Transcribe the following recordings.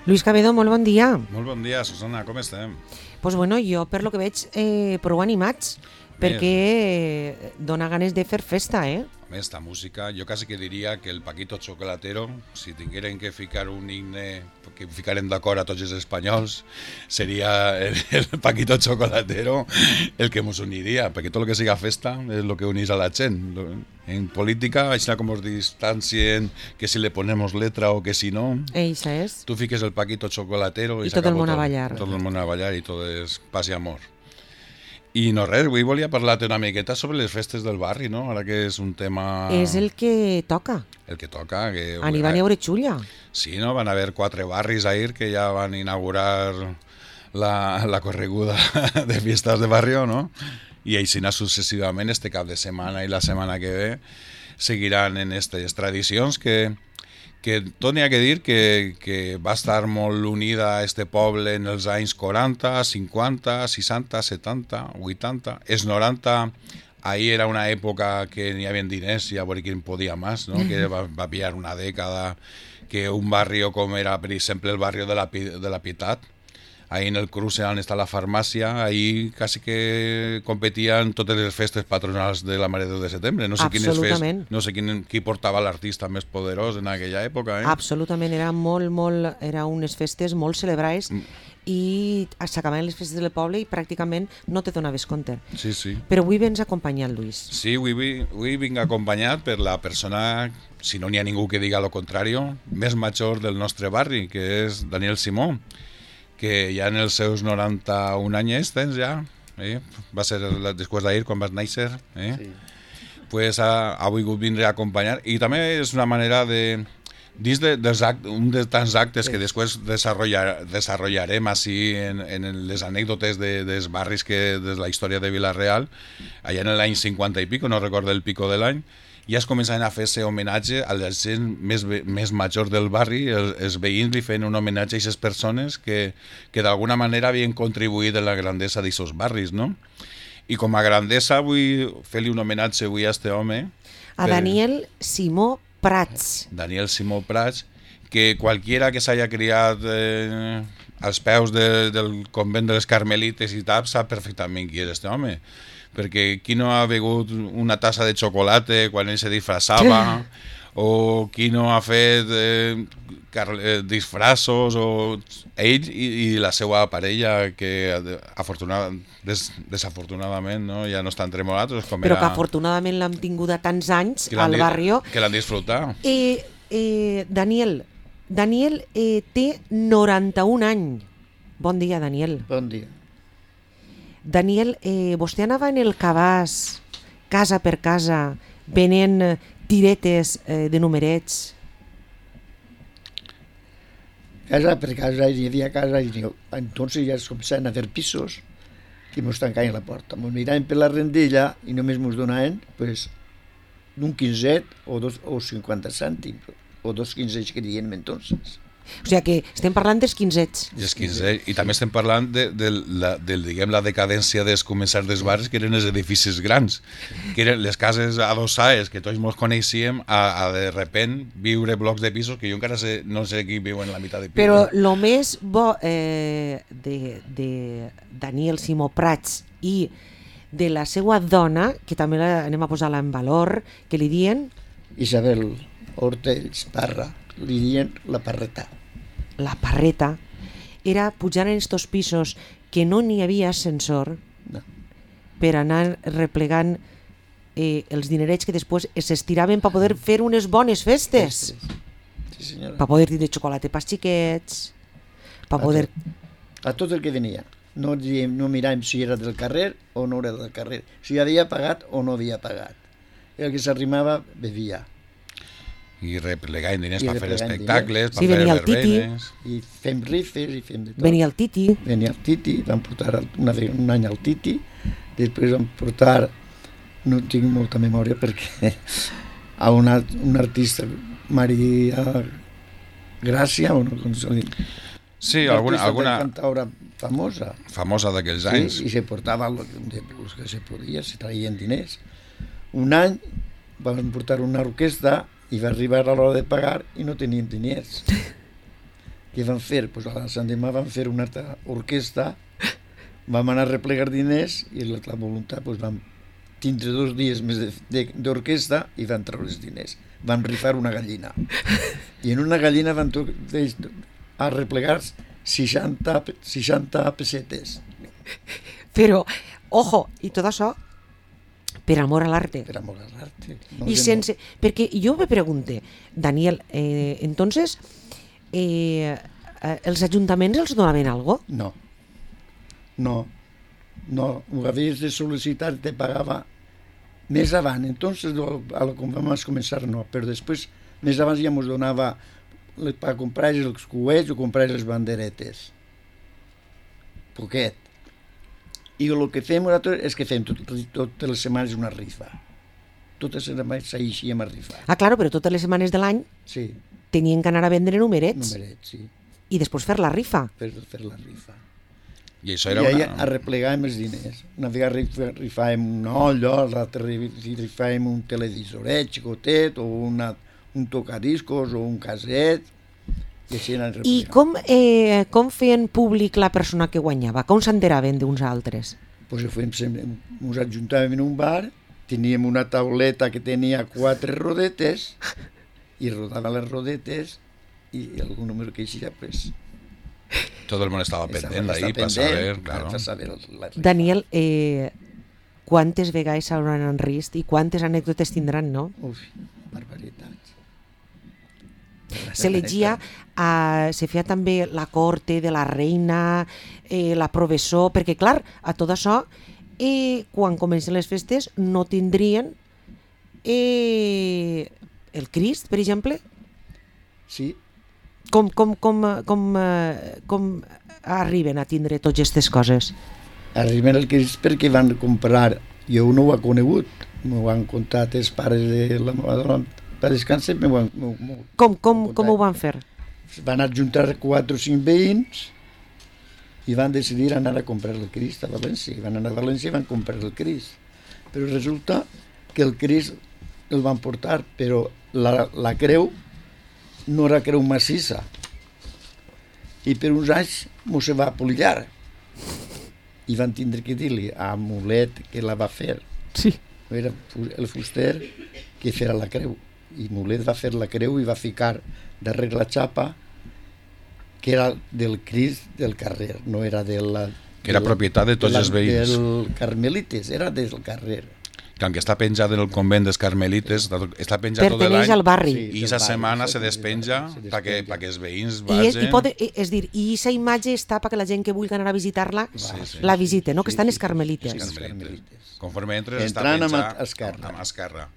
Lluís Cabedo, molt bon dia. Molt bon dia, Susana, com estem? Pues bueno, jo per lo que veig prou animats, perquè dona ganes de fer festa, A més, esta música, jo quasi que diria que el Paquito Chocolatero, si tingueren que ficar un himne que ficarem d'acord a tots els espanyols, seria el Paquito Chocolatero el que ens uniria, perquè tot el que siga festa és el que unís a la gent. En política, així com ens distancien que si le ponemos letra o que si no, Eixa és. tu fiques el Paquito Chocolatero I tot el món a ballar. Tot el món a ballar i tot és paz i amor. I no res, avui volia parlar-te una miqueta sobre les festes del barri, no? Ara que és un tema... És el que toca. El que toca. Que... N'hi va neure xulla. Sí, no? Van haver 4 barris ahir que ja van inaugurar la correguda de fiestas de barrio, no? I així successivament este cap de setmana i la setmana que ve seguiran en aquestes tradicions que tot n'hi ha que dir que va estar molt unida a este poble en els anys 40, 50, 60, 70, 80. Els 90, ahir era una època que n'hi havia diners i a veure qui en podia més, no? Que va pillar una dècada que un barri com era, per exemple, el barri de la Pietat, ahí en el cruce on està la farmàcia, ahí quasi que competien totes les festes patronals de la Mare de Déu de Setembre. No sé qui portava l'artista més poderós en aquella època. Absolutament, era unes festes molt celebrades i s'acabaven les festes del poble i pràcticament no te donaves compte. Sí, sí. Però avui vens acompanyat, Lluís. Sí, avui vinc acompanyat per la persona, si no n'hi ha ningú que diga lo contrari, més major del nostre barri, que és Daniel Simó, que ja en els seus 91 anys tens ja, va ser després d'ahir quan vas néixer, Sí. Pues ha volgut vindre a acompanyar, i també és una manera de dins un de tants actes que després desarrollarem així en les anècdotes dels barris de la història de Vila-real, allà en l'any 50 i pico, no recordo el pico de l'any, ja es començaven a fer-se homenatge a la gent més major del barri, els veïns li feien un homenatge a aquestes persones que d'alguna manera havien contribuït a la grandesa d'aquests barris, no? I com a grandesa vull fer-li un homenatge avui a este home. A Daniel Simó Prats. Daniel Simó Prats, que qualquiera que s'haya criat als peus del convent de les Carmelites i tal, sap perfectament qui és este home. Perquè qui no ha begut una tassa de xocolata quan ell se disfraçava, o qui no ha fet disfraços, o ell i la seva parella, que desafortunadament no, ja no està entre nosaltres. Però que afortunadament l'hem tingut a tants anys al barri. Que l'han disfrutat. Daniel té 91 anys. Bon dia, Daniel. Bon dia. Daniel, vostè anava en el cabàs, casa per casa, venent tiretes de numerets? Casa per casa, hi havia casa, i entonces ja es començaven a fer pisos que mos tancaven la porta. Mos miraven per la rendella i només mos donaven pues, d'un quinzet o 50 cèntims, o 2 quinzets que diem entonces. O sigui que estem parlant dels quinzets. I també estem parlant diguem, la decadència dels començars dels barris, que eren els edificis grans, que eren les cases adossades, que tots ens coneixíem, a de repent viure blocs de pisos, que jo encara no sé qui viu en la meitat de pisos. Però el més bo de Daniel Simó Prats i de la seva dona, que també anem a posar-la en valor, que li diuen... Isabel Hortells Parra, li diuen la Parreta. La Parreta era pujar en estos pisos que no n'hi havia ascensor, no, per anar replegant els dinerets que després s'estiraven per poder fer unes bones festes. Sí, senyora. Per poder tindre xocolata pels xiquets, per poder... A tot el que venia. No miràvem si era del carrer o no era del carrer, si havia pagat o no havia pagat. El que s'arrimava bevia. I replegant diners per fer espectacles, per fer verbenes. I fem rifes i fem de tot. Venia el Titi. Vam portar un any al Titi, després vam portar, no tinc molta memòria perquè a un artista, Maria Gràcia, o no, com se diu. Sí, alguna cantaora famosa. Famosa d'aquells anys. Sí, i se portava el que se podia, se traien diners. Un any vam portar una orquestra i va arribar a l'hora de pagar i no tenien diners. Què van fer? Pues a la Sant Demà van fer una altra orquestra, vam anar a replegar diners i la voluntat pues, vam tindre 2 dies més d'orquestra i van treure els diners. Van rifar una gallina. I en una gallina van a replegar 60 pessetes. Però, ojo, i tot això per amor a l'arte. Per amor a l'arte. I sense... Perquè jo me pregunte, Daniel, entonces, els ajuntaments els donaven algo? No. Ho havies de sol·licitar, te pagava més avant. Entonces, quan vam començar, no. Però després, més abans ja ens donava per comprar els coets o comprar les banderetes. Poquet. I el que fem nosaltres és que fem totes les setmanes una rifa. Totes les setmanes s'eixíem a rifar. Ah, claro, però totes les setmanes de l'any sí. tenien que anar a vendre numerets. Numerets, sí. I després fer la rifa. Per fer la rifa. I això era I a replegàvem els diners. Una vegada rifàvem una olla, l'altra rifàvem un televisoret xicotet, o un tocadiscos, o un caset, i així anàvem replegant. I com feien públic la persona que guanyava? Com s'enteraven d'uns altres? Pues ens ajuntàvem en un bar, teníem una tauleta que tenia 4 rodetes, i rodava les rodetes, i algun número que eixia, pues... Tot el món estava pendent d'ahir per saber, claro. Daniel, quantes vegades s'hauran enrist i quantes anècdotes tindran, no? Uf, barbaritats. Se llegia, se feia també la corte de la reina, la professor, perquè clar, a tot això, quan comencen les festes no tindrien el Crist, per exemple? Sí. Com arriben a tindre totes aquestes coses? Arriben el Crist perquè van comprar, jo no ho he conegut, m'ho han contat els pares de la meva dona, per descansar m'ho han Com ho van fer? Van ajuntar 4 o 5 veïns i van decidir anar a comprar el Crist a València. Van anar a València i van comprar el Crist. Però resulta que el Crist el van portar, però la creu no era creu massissa. I per uns anys m'ho se va polillar. I van tindre que dir-li a Mulet que la va fer. Sí. Era el fuster que feia la creu. I Mulet va fer la creu i va ficar darrere la xapa que era del Crist del carrer, no era de la... Que era propietat de tots els veïns. Del Carmelites, era del carrer. Que aunque està penjat en el convent dels Carmelites, està penjat tot l'any. Perteneix al barri. I aquesta setmana se despenja perquè els veïns vagin... És dir, i aquesta imatge està perquè la gent que vulgui anar a visitar-la la visite, no? Que estan els Carmelites. Conforme entres està Entrant penjat amb esquerra.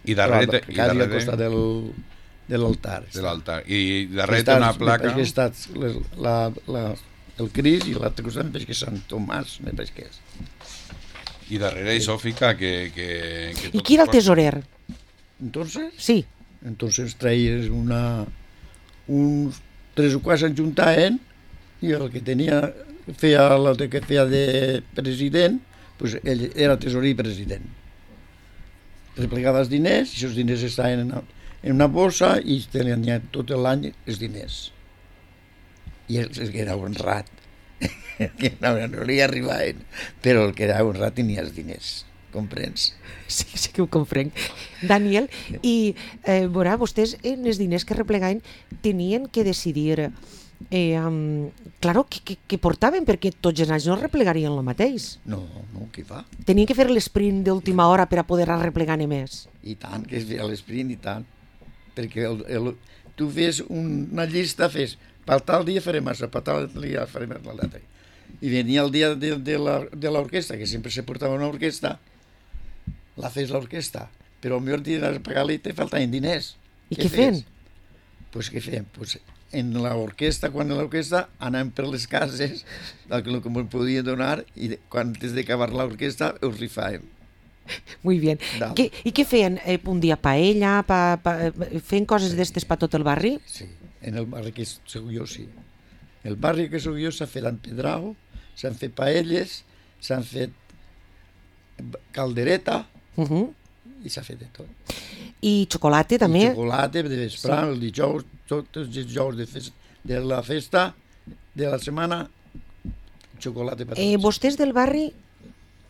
I darrere... Quasi al costat de l'altar. De l'altar. I darrere té una placa... Perquè està el Crist i l'altre costat em que Sant Tomàs, me penso que és. I darrere això fica que I qui era el tesorer? Entonces? Sí. Entonces traies uns 3 o 4 s'enjuntaven i el que feia de president, pues ell era tesorer i president. Replegava els diners, i els diners estaven en una bossa i tenien tot l'any els diners. I el que era honrat, que no li arribaven, però el que era honrat tenia els diners, comprens? Sí que ho comprenc. Daniel, i vostès en els diners que replegaven tenien que decidir claro, que portaven, perquè tots els anys no replegarien el mateix. No, què fa? Tenien que fer l'esprint d'última hora per a poder replegar més. I tant, que es feia l'esprint, i tant. Perquè tu fes una llista, per tal dia farem això, per tal dia farem l'altre. I venia el dia de l'orquestra, que sempre se portava una orquestra, la fes l'orquestra, però el millor dia de pagar-li te faltaven diners. I què feien? Pues què feien? Pues en l'orquestra, quan l'orquestra anàvem per les cases, el que ens podien donar, i quan antes d'acabar l'orquestra els rifàvem. Muy bien. I què feien? Un dia paella? Feien coses d'estes per tot el barri? Sí, en el barri que soc jo, sí. El barri que soc jo s'ha fet empedrau, s'han fet paelles, s'han fet caldereta, i s'ha fet de tot. I xocolata també? I xocolata de vesprà, el dijous, tots els dijous de la festa, de la setmana, xocolata per tots. Vostès del barri,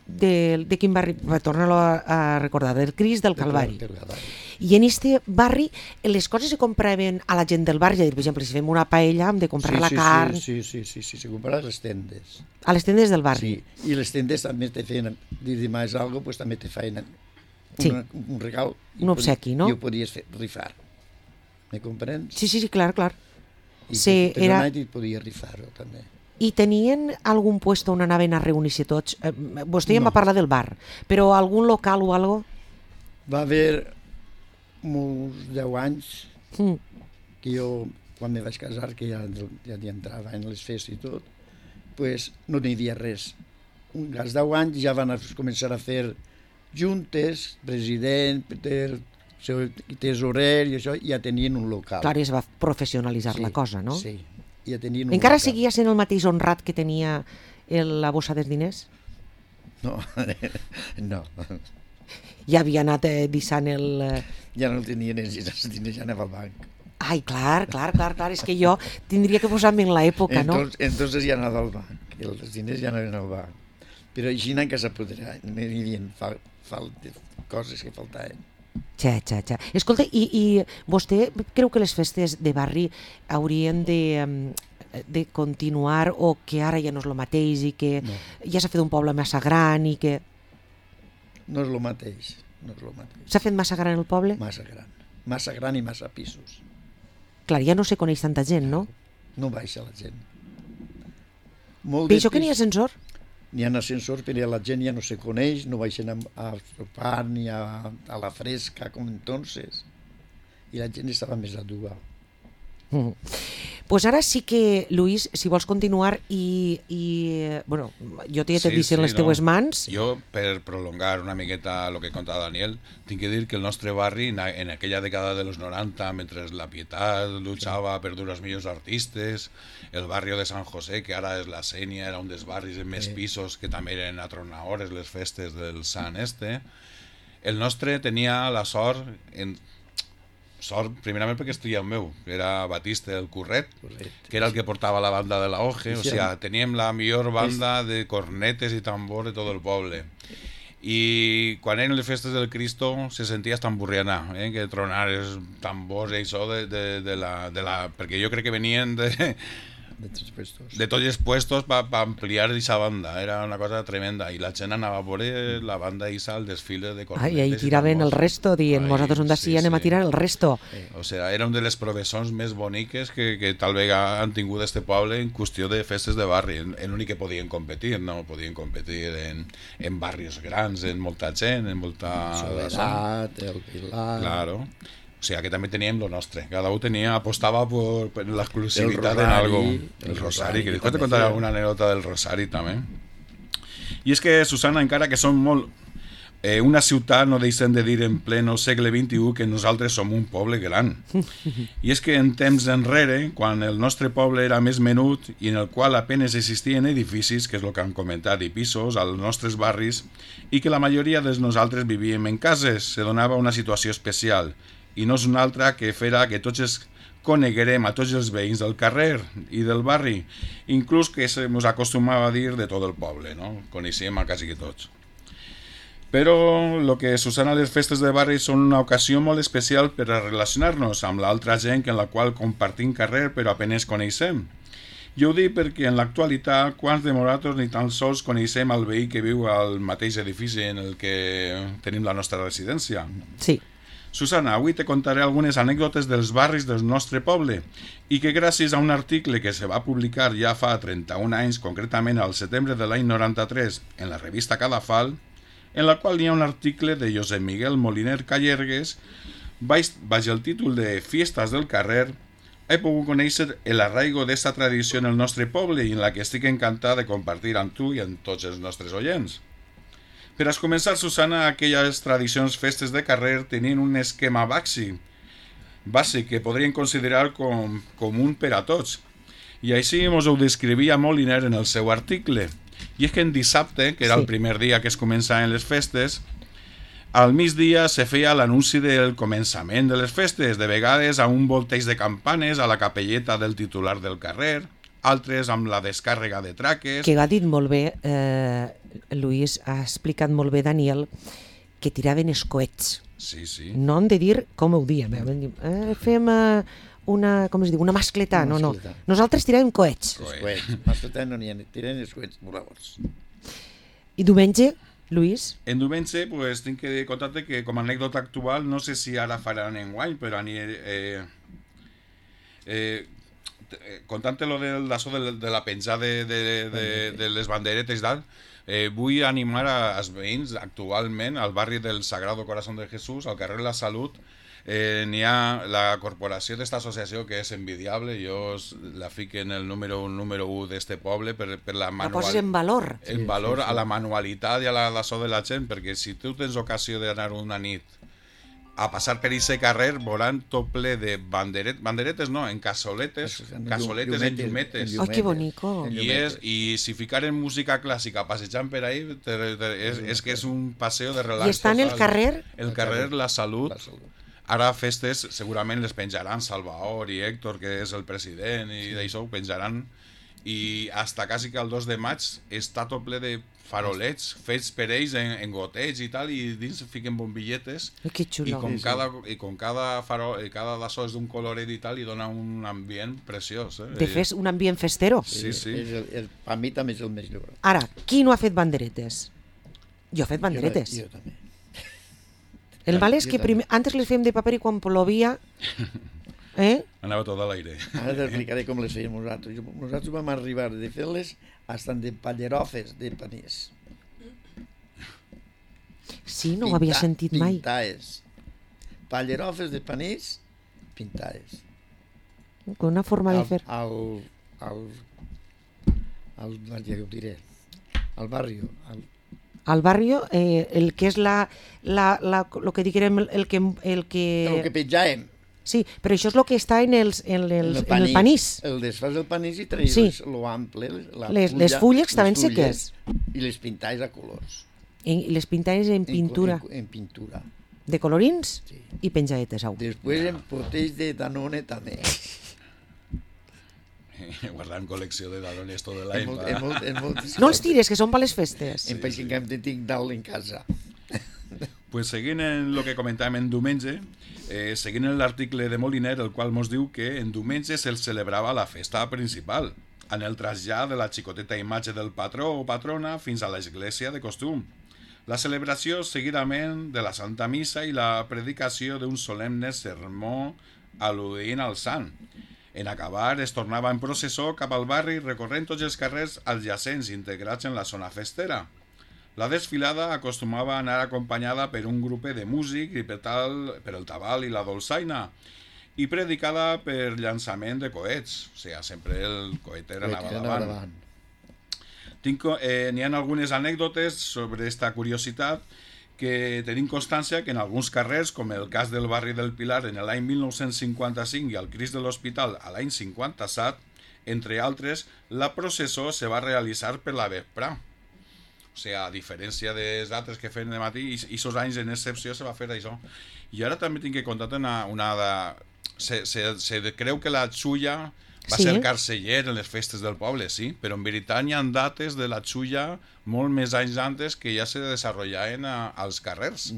de quin barri? Torna-lo a recordar, del Crist del Calvari. Del Calvari. I en este barri les coses se compraven a la gent del barri, és a dir, per exemple, si fem una paella hem de comprar la carn Sí, se compra a les tendes. a les tendes del barri. Sí, i les tendes també te feien, dir demà algo, pues també te feien un regal. Un obsequi, no? I ho podies rifar. Me comprens? Sí, clar. I Sí, per donar i podies rifar-ho també. I tenien algun puesto on anaven a reunir-se tots? Vostè ja em va parlar del bar, però algun local o algo? Va haver uns 10 anys que jo, quan me vaig casar, que ja hi entrava en les festes i tot, pues no n'hi havia res. Als 10 anys ja van començar a fer juntes, president, tesorer i això, ja tenien un local. Clar, es va professionalitzar la cosa, no? Sí, ja tenien un Encara local. seguia sent el mateix honrat que tenia la bossa dels diners? No, no. Ja havia anat dissant el... Ja no el tenien els diners, ja anava al banc. Ai, clar, és que jo tindria que posar-me en l'època, no? Entonces ja anava al banc, els diners ja anaven al banc. Però així en casa podrà, n'hi havia coses que faltaven. Xa. Escolta, i vostè creu que les festes de barri haurien de continuar o que ara ja no és el mateix i que ja s'ha fet un poble massa gran i que... No és el mateix, S'ha fet massa gran el poble? Massa gran i massa pisos. Clar, ja no se coneix tanta gent, no? No baixa la gent. Per això que n'hi ha ascensor? N'hi ha ascensors, però la gent ja no se coneix, no baixen a sopar ni a la fresca com entonces. I la gent estava més a dur. Pues ara sí que, Luis, si vols continuar bueno, jo t'he vist en les teues mans. Jo, per prolongar una miqueta el que conta Daniel, tinc que dir que el nostre barri, en aquella dècada de los 90, mentre la Pietat luchava per dur els millors artistes, el barri de San José, que ara és la Sénia, era un dels barris amb més pisos, que també eren atronadores les festes del Sant el nostre tenia la sort primerament perquè estudia el meu, que era Batiste el Curret, que era el que portava la banda de la OGE, o sea, teníem la millor banda de cornetes i tambor de tot el poble. I quan eren les festes del Cristo se sentia hasta emburrianar, que tronar els tambors i això perquè jo crec que venien de tots els puestos per ampliar aquesta banda, era una cosa tremenda, i la gent anava a veure la banda Isa al desfile de cornetes. Ai, ahí tiraven el resto, dient, nosaltres on d'ací anem a tirar el resto. O sea, era una de les professons més boniques que tal vegada han tingut este poble en qüestió de festes de barri, en l'únic que podien competir, no podien competir en barris grans, en molta gent, en molta... Soledat, el Pilar... Claro. O sea, que també teníem lo nostre. Cada un apostava per l'exclusivitat en algo. El Rosari, que després te contaré alguna anècdota del Rosari també. I és que, Susana, encara que som molt... una ciutat no deixem de dir en pleno segle XXI que nosaltres som un poble gran. I és que en temps enrere, quan el nostre poble era més menut i en el qual apenes existien edificis, que és el que han comentat, i pisos als nostres barris, i que la majoria de nosaltres vivíem en cases, se donava una situació especial, i no és una altra que fera que tots coneguerem a tots els veïns del carrer i del barri, inclús que ens acostumava a dir de tot el poble, no? Coneixíem a quasi que tots. Però el que Susana, les festes de barri són una ocasió molt especial per a relacionar-nos amb l'altra gent en la qual compartim carrer però apenas coneixem. Jo ho dic perquè en l'actualitat quants de nosaltres ni tan sols coneixem el veí que viu al mateix edifici en el que tenim la nostra residència. Sí. Susana, avui te contaré algunes anècdotes dels barris del nostre poble i que gràcies a un article que se va publicar ja fa 31 anys, concretament al setembre de l'any 93, en la revista Cadafal, en la qual hi ha un article de Josep Miguel Moliner Callergues, baix el títol de Fiestas del carrer, he pogut conèixer l'arraigo d'esta tradició en el nostre poble i en la que estic encantat de compartir amb tu i amb tots els nostres oients. Per a començar, Susana, aquelles tradicions festes de carrer tenien un esquema bàsic que podríem considerar com comú per a tots. I així ens ho descrivia Moliner en el seu article. I és que en dissabte, que era el primer dia que es començaven les festes, Al migdia se feia l'anunci del començament de les festes, de vegades a un volteig de campanes a la capelleta del titular del carrer, altres amb la descàrrega de traques... Que ha dit molt bé, Lluís, ha explicat molt bé Daniel, que tiraven els coets. Sí, sí. No hem de dir com ho diem. Fem una, com es diu, una mascletà. No, no. Nosaltres tiràvem coets. Coets. Mascletà no n'hi ha, tiren els coets voladors. I diumenge, Lluís? En diumenge, pues, tinc que contar-te que com a anècdota actual, no sé si ara faran enguany, però contant-te lo d'això de la penjada de les banderetes i tal, vull animar als veïns actualment al barri del Sagrado Corazón de Jesús, al carrer La Salut. N'hi ha la corporació d'esta associació que és envidiable, jo la fico en el número 1 d'este poble per la La poses en valor. En valor a la manualitat i a l'açò de la gent, perquè si tu tens ocasió d'anar una nit a passar per aquest carrer, veuran tot ple de banderetes no, en cassoletes en llumetes. Oh, que bonico. I si ficaren música clàssica passejant per ahí, és que és un passeo de relax. I està en el carrer? El carrer La Salut. Ara festes segurament les penjaran Salvador i Héctor, que és el president, i d'això ho penjaran. I hasta quasi que el 2 de maig està tot ple de farolets fets per ells en goteig i tal, i dins fiquen bombilletes. Que xulo. I com cada farol, cada d'això és d'un coloret i tal, i dona un ambient preciós. De fet, un ambient festero. Sí, sí. Per mi també és el més lliure. Ara, qui no ha fet banderetes? Jo he fet banderetes. Jo també. El mal és que antes les fèiem de paper i quan plovia... Anava tot a l'aire. Ara t'explicaré com les fèiem nosaltres. Nosaltres vam arribar de fer-les fins de pallerofes de panís. Sí, no ho havia sentit mai. Pintades. Pallerofes de panís pintades. Una forma de fer... Ja ho diré. Al barri. Al barrio, el que és lo que diguem, el que... El que penjàvem. Sí, però això és el que està en el panís. El desfàs del panís i traies Sí. lo ample, Les fulles estaven seques. I les pintaves a colors. I les pintaves en pintura. En pintura. De colorins Sí. i penjadetes. Au. Després en poteix de Danone també. Guardant col·lecció de Danones tot l'any. No els tires, que són per les festes. En país que em tinc dalt en casa. Pues seguint en el que comentàvem en diumenge, seguint l'article de Moliner, el qual ens diu que en diumenge se'l celebrava la festa principal, en el trasllat de la xicoteta imatge del patró o patrona fins a l'església de costum. La celebració seguidament de la Santa Missa i la predicació d'un solemne sermó al·ludint al sant. En acabar, es tornava en processó cap al barri recorrent tots els carrers adjacents integrats en la zona festera. La desfilada acostumava a anar acompanyada per un grup de músics i per el tabal i la dolçaina, i predicada per llançament de coets, o sigui, sempre el coet anava davant. N'hi ha algunes anècdotes sobre aquesta curiositat que tenim constància que en alguns carrers, com el cas del barri del Pilar en l'any 1955 i el Crist de l'Hospital a l'any 57, entre altres, la processó se va realitzar per la vesprà. O sigui, a diferència dels altres que feien de matí, i aquests anys en excepció se va fer això. I ara també tinc que contar-te se creu que la xulla va ser carceller en les festes del poble, sí, però en veritat hi ha dates de la xulla molt més anys antes que ja se desenvolupaven als carrers.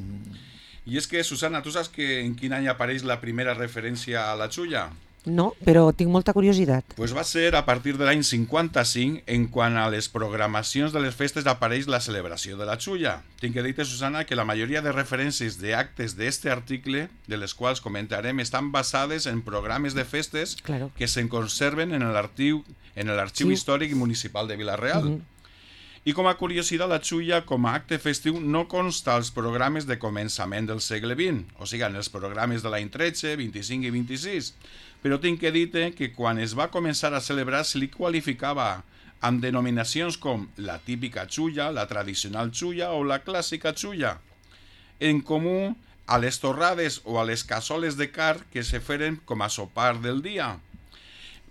I és que, Susana, tu saps en quin any apareix la primera referència a la xulla? No, però tinc molta curiositat. Pues va ser a partir de l'any 55 en quan a les programacions de les festes apareix la celebració de la xulla. Tinc que dir-te, Susana, que la majoria de referències d'actes d'este article, de les quals comentarem, estan basades en programes de festes que se'n conserven en l'arxiu històric municipal de Vila-real. I com a curiositat, la xulla com a acte festiu no consta als programes de començament del segle XX, o sigui, en els programes de l'any 13, 25 i 26, però tinc que dir-te que quan es va començar a celebrar se li qualificava amb denominacions com la típica xulla, la tradicional xulla o la clàssica xulla, en comú a les torrades o a les cassoles de carn que se feren com a sopar del dia.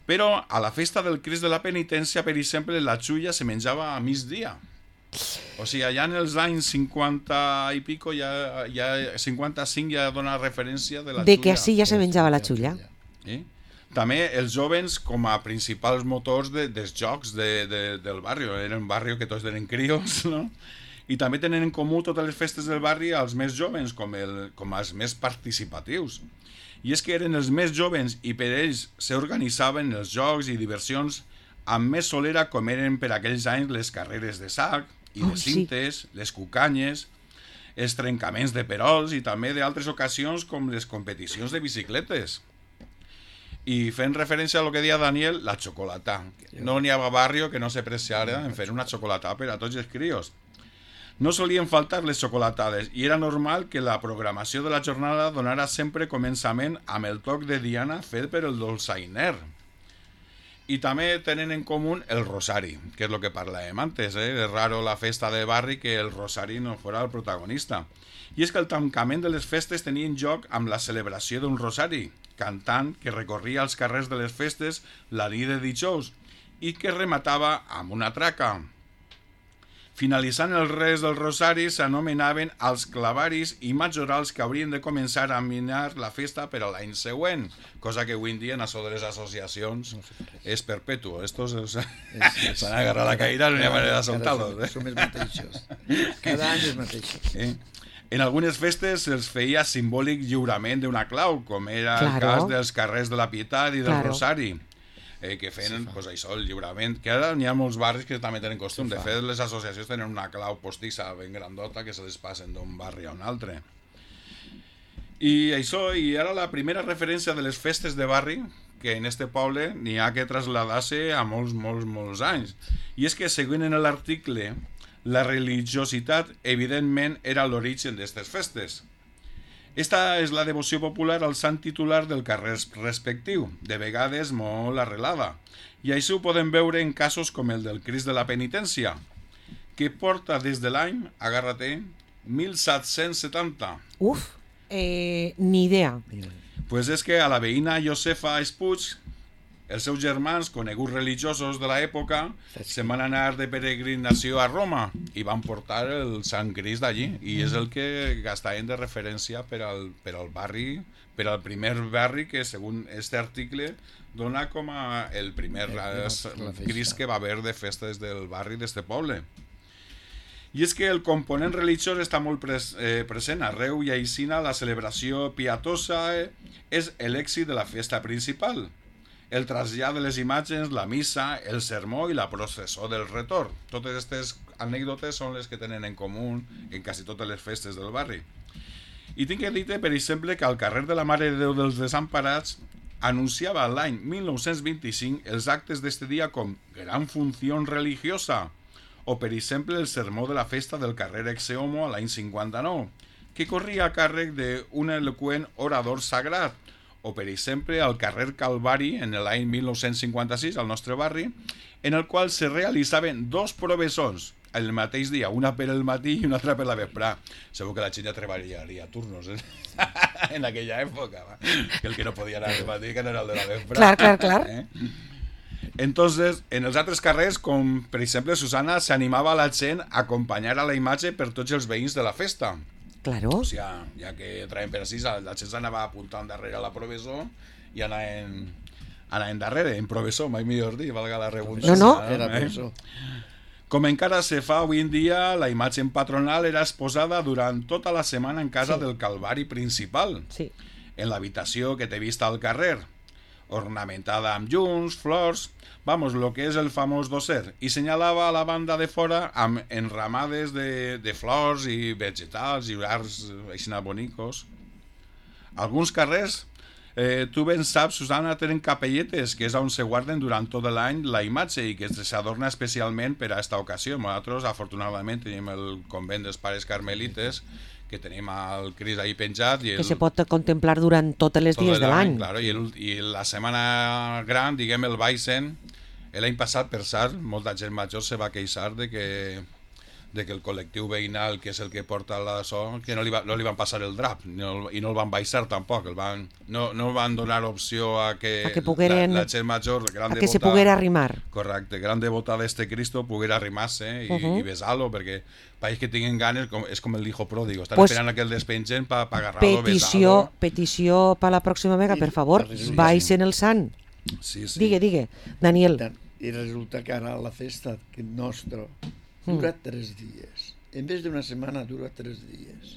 Però a la festa del Crist de la Penitència, per exemple, la xulla se menjava a migdia. O sigui, allà en els anys 50 i pico, 55 ja dona referència de la De que xulla. així ja se menjava la xulla. També els jovens com a principals motors dels jocs del barri. Era un barri que tots eren crios, no? I també tenen en comú totes les festes del barri als més jovens com els més participatius. I és que eren els més jovens i per ells s'organitzaven els jocs i diversions amb més solera com eren per aquells anys les carreres de sac i de cintes, les cucanyes, els trencaments de perols i també d'altres ocasions com les competicions de bicicletes. I fent referència a lo que deia Daniel, la xocolata. No n'hi havia barri que no se preciara en fer una xocolata per a tots els crios. No solien faltar les xocolatades i era normal que la programació de la jornada donara sempre començament amb el toc de diana fet per el dolçainer. I també tenen en comú el rosari, que és el que parlàvem antes. És raro la festa de barri que el rosari no fos el protagonista. I és que el tancament de les festes tenia en joc amb la celebració d'un rosari, cantant que recorria els carrers de les festes la nit de dijous i que rematava amb una traca. Finalitzant el res del rosari s'anomenaven els clavaris i majorals que haurien de començar a minar la festa per a l'any següent, cosa que avui en dia en això de les associacions és perpetu. Estos s'han agarrat la caïra, no hi ha manera de soltar-los. Som els mateixos. Cada any els mateixos. En algunes festes se'ls feia simbòlic lliurament d'una clau, com era el cas dels carrers de la Pietat i del Rosari, que feien pues, això, el lliurament, que ara n'hi ha molts barris que també tenen costum. De fet, les associacions tenen una clau postissa ben grandota que se les passen d'un barri a un altre. I això, i ara la primera referència de les festes de barri, que en este poble n'hi ha que traslladar-se a molts anys. I és que, seguint en l'article, la religiositat, evidentment, era l'origen d'aquestes festes. Esta és la devoció popular al sant titular del carrer respectiu, de vegades molt arrelada, i això ho podem veure en casos com el del Crist de la Penitència, que porta des de l'any, agarra-te, 1770. Uf, ni idea. Pues és que a la veïna Josefa Espuig, els seus germans, coneguts religiosos de l'època, se'n van anar de peregrinació a Roma i van portar el Sant Crist d'allí, i és el que gastaven de referència per al barri, per al primer barri que, segons aquest article, dona com a el primer Crist que va haver de festes del barri d'este poble. I és que el component religiós està molt present arreu i aixina la celebració pietosa és l'èxit de la festa principal. El trasllat de les imatges, la missa, el sermó i la processó del retorn. Totes aquestes anècdotes són les que tenen en comú en quasi totes les festes del barri. I tinc que dir-te, per exemple, que al carrer de la Mare de Déu dels Desemparats anunciava l'any 1925 els actes d'este dia com gran funció religiosa, o per exemple el sermó de la festa del carrer Exeomo a l'any 59, que corria a càrrec d'un eloqüent orador sagrat, o per exemple al carrer Calvari en l'any 1956 al nostre barri, en el qual se realitzaven dos provessons el mateix dia, una per el matí i una altra per la vesprà. Segur que la gent ja treballaria a turnos en aquella època, que el que no podia anar al matí que no era el de la vesprà. Clar. Entonces, en els altres carrers, com per exemple Susana, s'animava la gent a acompanyar a la imatge per tots els veïns de la festa. Claro. O sigui, ja que traiem per així, la gent s'anava apuntant darrere la provessó i anaven darrere, en provessó, mai millor dir, valga la redundància. No. Era provessó. Com encara se fa avui en dia, la imatge patronal era exposada durant tota la setmana en casa del Calvari principal, en l'habitació que té vista al carrer, ornamentada amb llums, flors, lo que és el famós dosser, i senyalava a la banda de fora amb enramades de flors i vegetals i arts així bonicos. Alguns carrers, tu ben saps, Susana, tenen capelletes, que és on se guarden durant tot l'any la imatge i que s'adorna especialment per a aquesta ocasió. Nosaltres, afortunadament, tenim el convent dels Pares Carmelites, que tenim el Crist ahí penjat. Que se pot contemplar durant tots els dies de l'any. Claro, i la setmana gran, diguem, el Baixen, l'any passat, per cert, molta gent major se va queixar de de que el col·lectiu veïnal, que és el que porta la so, que no li van passar el drap i no el van baixar tampoc, no van donar opció a que la gent major, gran a que se poguera arrimar. Correcte, gran devota d'este Cristo poguera arrimar-se i besar-lo, perquè pareix que tinguin ganes, és com el hijo pródigo, estan esperant que el despengen per agarrar-lo, besar-lo. Petició per la pròxima vegada, per favor, baixen el sant. Sí. Digue, Daniel. I resulta que ara la festa nostra dura 3 dies. En vez d'una setmana dura 3 dies.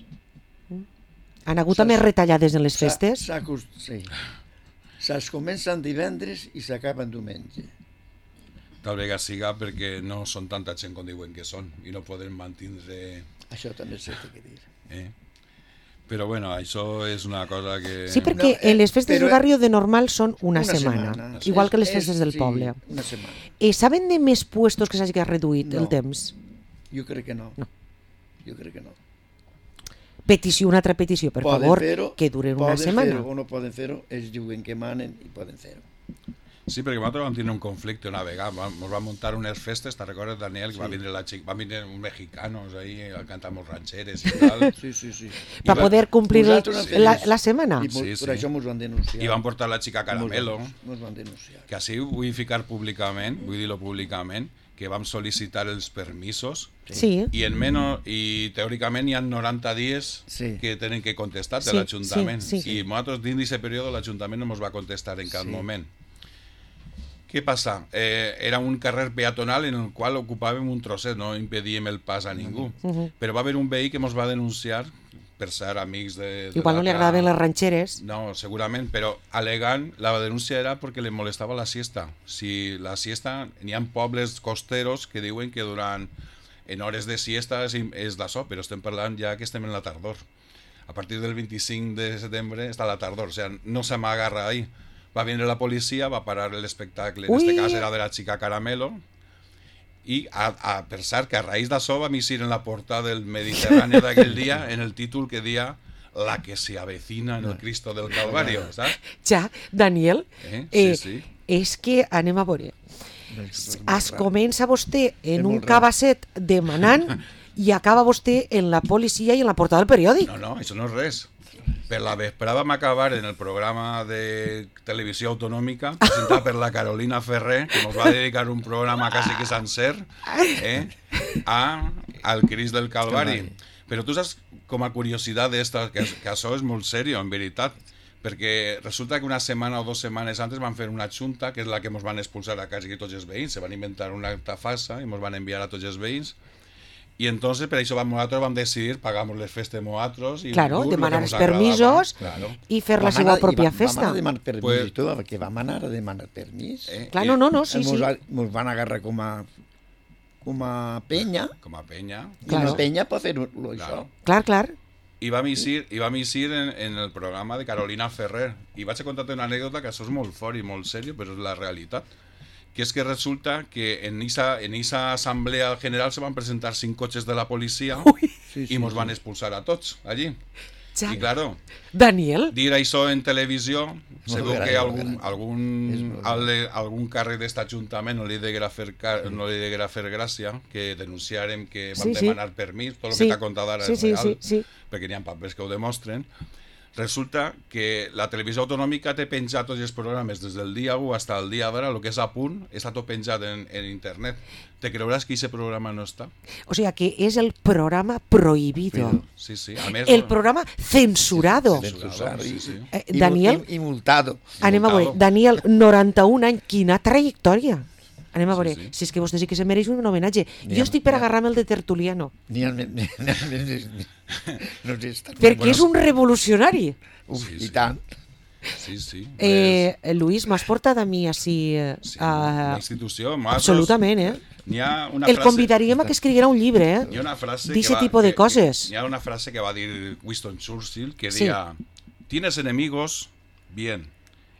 Han hagut més retallades en les festes? Sí. Es comencen divendres i s'acaben diumenge. Tal vegada siga perquè no són tanta gent com diuen que són i no poden mantenir... Això també s'ha de dir. Però bueno, això és una cosa que... Sí, perquè les festes del barri de normal són una setmana. Igual que les festes del poble. Una setmana. Saben de més puestos que s'hagi reduït el temps? Jo crec que no. Jo crec que no. Una altra petició, per favor, que duren una setmana. Poden fer-ho o no poden fer-ho, ells diuen que manen i poden fer-ho. Sí, perquè nosaltres vam tenir un conflicte una vegada, ens van muntar unes festes, te'n recordes, Daniel, que va vindre uns mexicanos ahí a cantar molts rancheres i tal. Sí. Per poder complir la setmana. I per això ens van denunciar. I van portar la xica Caramelo. Ens van denunciar. Que així vull ficar públicament, vull dir-lo públicament, que vam sol·licitar els permisos i teòricament hi ha 90 dies que tenen que contestar de l'Ajuntament. I nosaltres dins d'aquest període l'Ajuntament no ens va contestar en cap moment. Què passa? Era un carrer peatonal en el qual ocupàvem un trosset, no impedíem el pas a ningú. Però va haver un veí que ens va denunciar, per ser amics de... Igual no li agradaven les ranxeres. No, segurament, però alegant, la denúncia era perquè li molestava la siesta. Si la siesta, n'hi ha pobles costeros que diuen que durant en hores de siesta és d'això, però estem parlant ja que estem en la tardor. A partir del 25 de setembre està la tardor, o sigui, no se m'agarra ahí. Va vindre la policia, va parar l'espectacle, en aquest cas era de la xica Caramelo, i per cert que a raïs d'això vam eixir en la portada del Mediterrani d'aquell dia en el títol que dia La que se avecina en el Cristo del Calvario, saps? Ja, Daniel, sí. És que anem a veure. Es comença vostè en un cabasset demanant i acaba vostè en la policia i en la portada del periòdic. No, això no és res. Per la vesprada vam acabar en el programa de televisió autonòmica presentat per la Carolina Ferrer, que ens va dedicar un programa quasi que sencer al Crist del Calvari. Però tu saps, com a curiositat d'esta, que això és molt seriós, en veritat, perquè resulta que una setmana o 2 setmanes antes van fer una junta, que és la que ens van expulsar a quasi tots els veïns, se van inventar una acta falsa i ens van enviar a tots els veïns. Y entonces, per això nosaltres vam decidir pagamos les festes nosaltres i demanar els permisos i fer la seva pròpia festa. Vam anar a demanar permís i tot, perquè vam anar a demanar permís. Claro, no, sí. Ens van agarrar com a penya. Com a penya. I la penya pot fer-ho, això. Clar. I vam eixir en el programa de Carolina Ferrer. I vaig a contar-te una anècdota que això és molt fort i molt seriós, però és la realitat. Que és que resulta que en esa assemblea general se van presentar 5 cotxes de la policia i ens van expulsar a tots allí. I claro, Daniel, dir això en televisió, se veu que algun càrrec d'aquest ajuntament no li deguera fer gràcia que denunciarem que vam demanar permís, tot el que t'ha contat ara és real, perquè n'hi ha papers que ho demostren. Resulta que la televisió autonòmica té penjat tots els programes des del dia 1 fins al dia d'ara, el que és a punt, està tot penjat en internet. Te creuràs que aquest programa no està? O sea, que és el programa prohibido. Sí. A més, el programa censurado. Sí. Daniel, i multado. Anem a veure, Daniel, 91 anys, quina trajectòria. Anem a veure, si és que vostè sí que se mereix un homenatge. Jo estic per agarrar-me el de Tertuliano. Perquè és un revolucionari. I tant. Sí. Luis, m'has portat a mi així... La institució. Absolutament, El convidaríem a que escriguera un llibre, d'aquest tipus de coses. Hi ha una frase que va dir Winston Churchill que deia: ¿Tienes enemigos? Bien.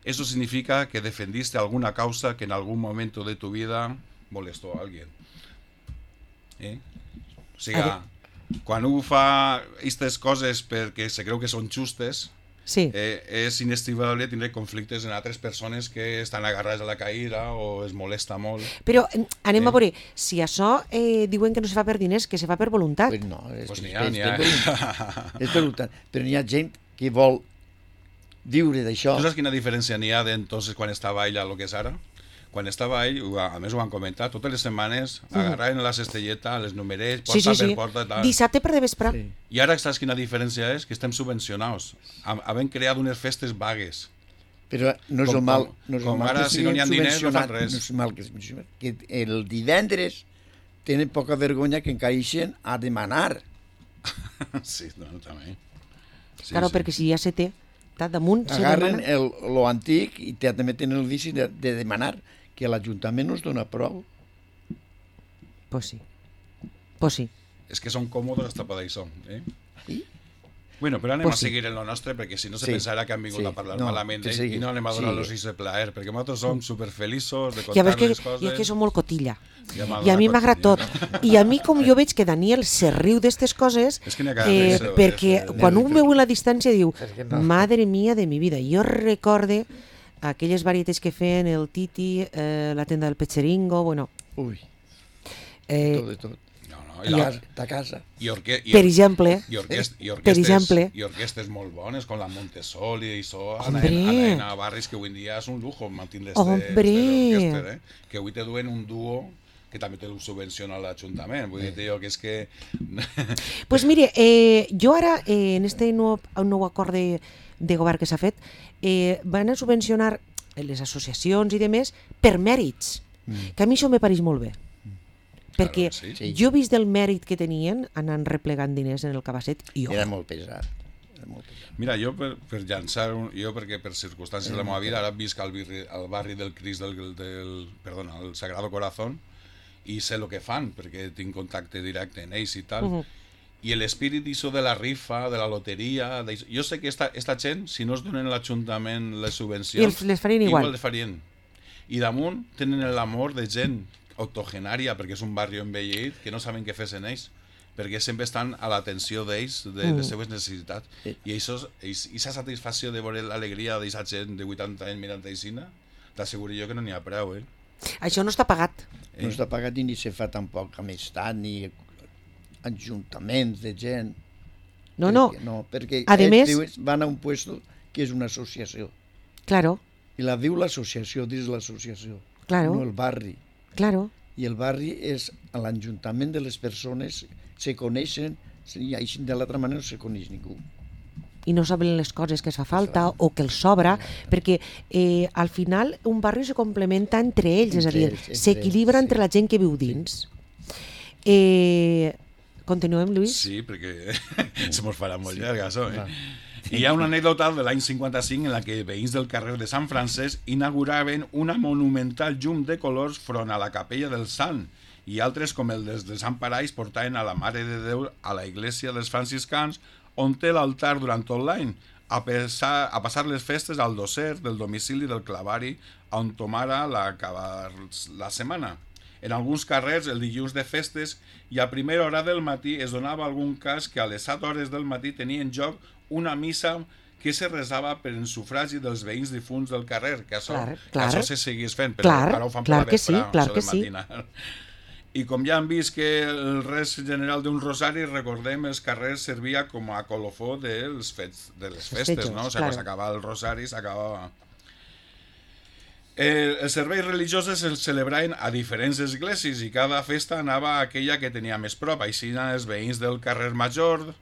Eso significa que defendiste alguna causa que en algún momento de tu vida molestó a alguien. O sigui, quan un fa aquestes coses perquè se creu que són justes, Sí. És inestimable tindre conflictes en altres persones que estan agarrades a la caïra o es molesta molt. Però anem a veure, si això diuen que no se fa per diners, que se fa per voluntat. Pues no, Pues és n'hi ha. és per voluntat. Però n'hi ha gent que vol viure d'això. Tu saps quina diferència n'hi ha d'entonces quan estava ell a lo que és ara? Quan estava ell, a més ho van comentar, totes les setmanes agarraven la cestelleta, les numerets, porta per porta i tal. Dissabte per de vespre. Sí. I ara saps quina diferència és? Que estem subvencionats. Havent creat unes festes vagues. Però no és Com- el mal, com- no és el com mal ara, que si no n'hi ha siguin diners, no fan subvencionats, res. no és mal que siguin subvencionats, que el divendres tenen poca vergonya que encaixen a demanar. Sí, no, també. Sí, Claro, perquè si ja se té, està damunt, se Agarren demana. lo antic i també tenen el vici de demanar que l'Ajuntament no es dona prou. Pues sí. Pues sí. És que són còmodes hasta per això. Sí? Bueno, però anem Pues a sí. seguir en lo nostre, perquè si no se Sí. pensarà que han vingut Sí. a parlar No, malament que d'ell sigui. i no anem a donar Sí. los de plaer, perquè nosaltres som superfeliços de Ja contar veus que, les coses. i és que som molt cotilla. Ja m'ha I a mi donat m'agrada tot. cotilla. I a mi, com jo veig que Daniel se riu d'estes coses, És que n'hi ha cada vegada més, perquè quan un veu a la distància diu, que no. madre mía de mi vida. Jo recorde aquelles varietats que feien el Titi, la tenda del Pecheringo, bueno, Ui, eh, tot de tot. No, no, De casa, de casa. per exemple, per exemple. I orquestes molt bones, com la Montesoli i això, Hombre. anar a barris que avui en dia és un lujo mantenir Hombre. orquestes, que avui te duen un duo que també te lo subvenciona l'Ajuntament. Vull dir, jo, que és que... Pues mire, jo ara, en este nou acord de govern que s'ha fet, van a subvencionar les associacions i demés per mèrits, que a mi això me pareix molt bé. Perquè sí. Sí. jo he vist el mèrit que tenien anant replegant diners en el cabasset i Era jo. molt pesat. Era molt pesat. Mira, jo per llançar, jo perquè per circumstàncies de la meva vida ara visc al barri del Crist perdona, el Sagrado Corazón, i sé el que fan, perquè tinc contacte directe amb ells i tal. I l'espírit d'això de la rifa, de la loteria... Jo sé que esta gent, si no es donen a l'Ajuntament les subvencions... Les farien igual. les farien. I damunt tenen l'amor de gent octogenària, perquè és un barri envellit, que no saben què fer en ells, perquè sempre estan a l'atenció d'ells, de les seves necessitats. I aquesta satisfacció de veure l'alegria d'aquesta gent de 80 anys mirant aixina, t'asseguro jo que no n'hi ha prou, Això no està pagat. No està pagat i ni se fa tampoc amistat ni ajuntaments de gent. No, no. No, perquè A més- ells van a un puesto que és una associació. Claro, I la viu l'associació dins l'associació, claro, no el barri. claro. I el barri és a l'ajuntament de les persones, se coneixen, i així de l'altra manera no se coneix ningú. I no saben les coses que es fa falta o que els sobra, perquè al final un barri se complementa entre ells, és a dir, Entre ells, s'equilibra sí. entre la gent que viu dins. Continuem, Lluís? Sí, perquè se mos farà molt llarg, això, Clar. Hi ha una anècdota de l'any 55 en la que veïns del carrer de Sant Francesc inauguraven una monumental llum de colors front a la capella del Sant i altres com el de Sant Paraix portaven a la Mare de Déu a la iglesia dels franciscans on té l'altar durant tot l'any a passar les festes al doser del domicili del clavari on tomara l'acabar la setmana. En alguns carrers, el dilluns de festes i a primera hora del matí es donava algun cas que a les 7 hores del matí tenia en joc una missa que se resava per en sufragi dels veïns difunts del carrer, que això, Clar. que això se seguís fent, però Clar, ara ho fan clar per la que sí, vesprà, clar això que de sí. matinar. I com ja han vist que el res general d'un rosari, recordem, els carrers servia com a colofó de les festes, festejos, no? O sigui, claro. quan s'acabava el rosari, s'acabava... Els serveis religiosos es celebraven a diferents esglésies i cada festa anava a aquella que tenia més prop. Així els veïns del carrer Major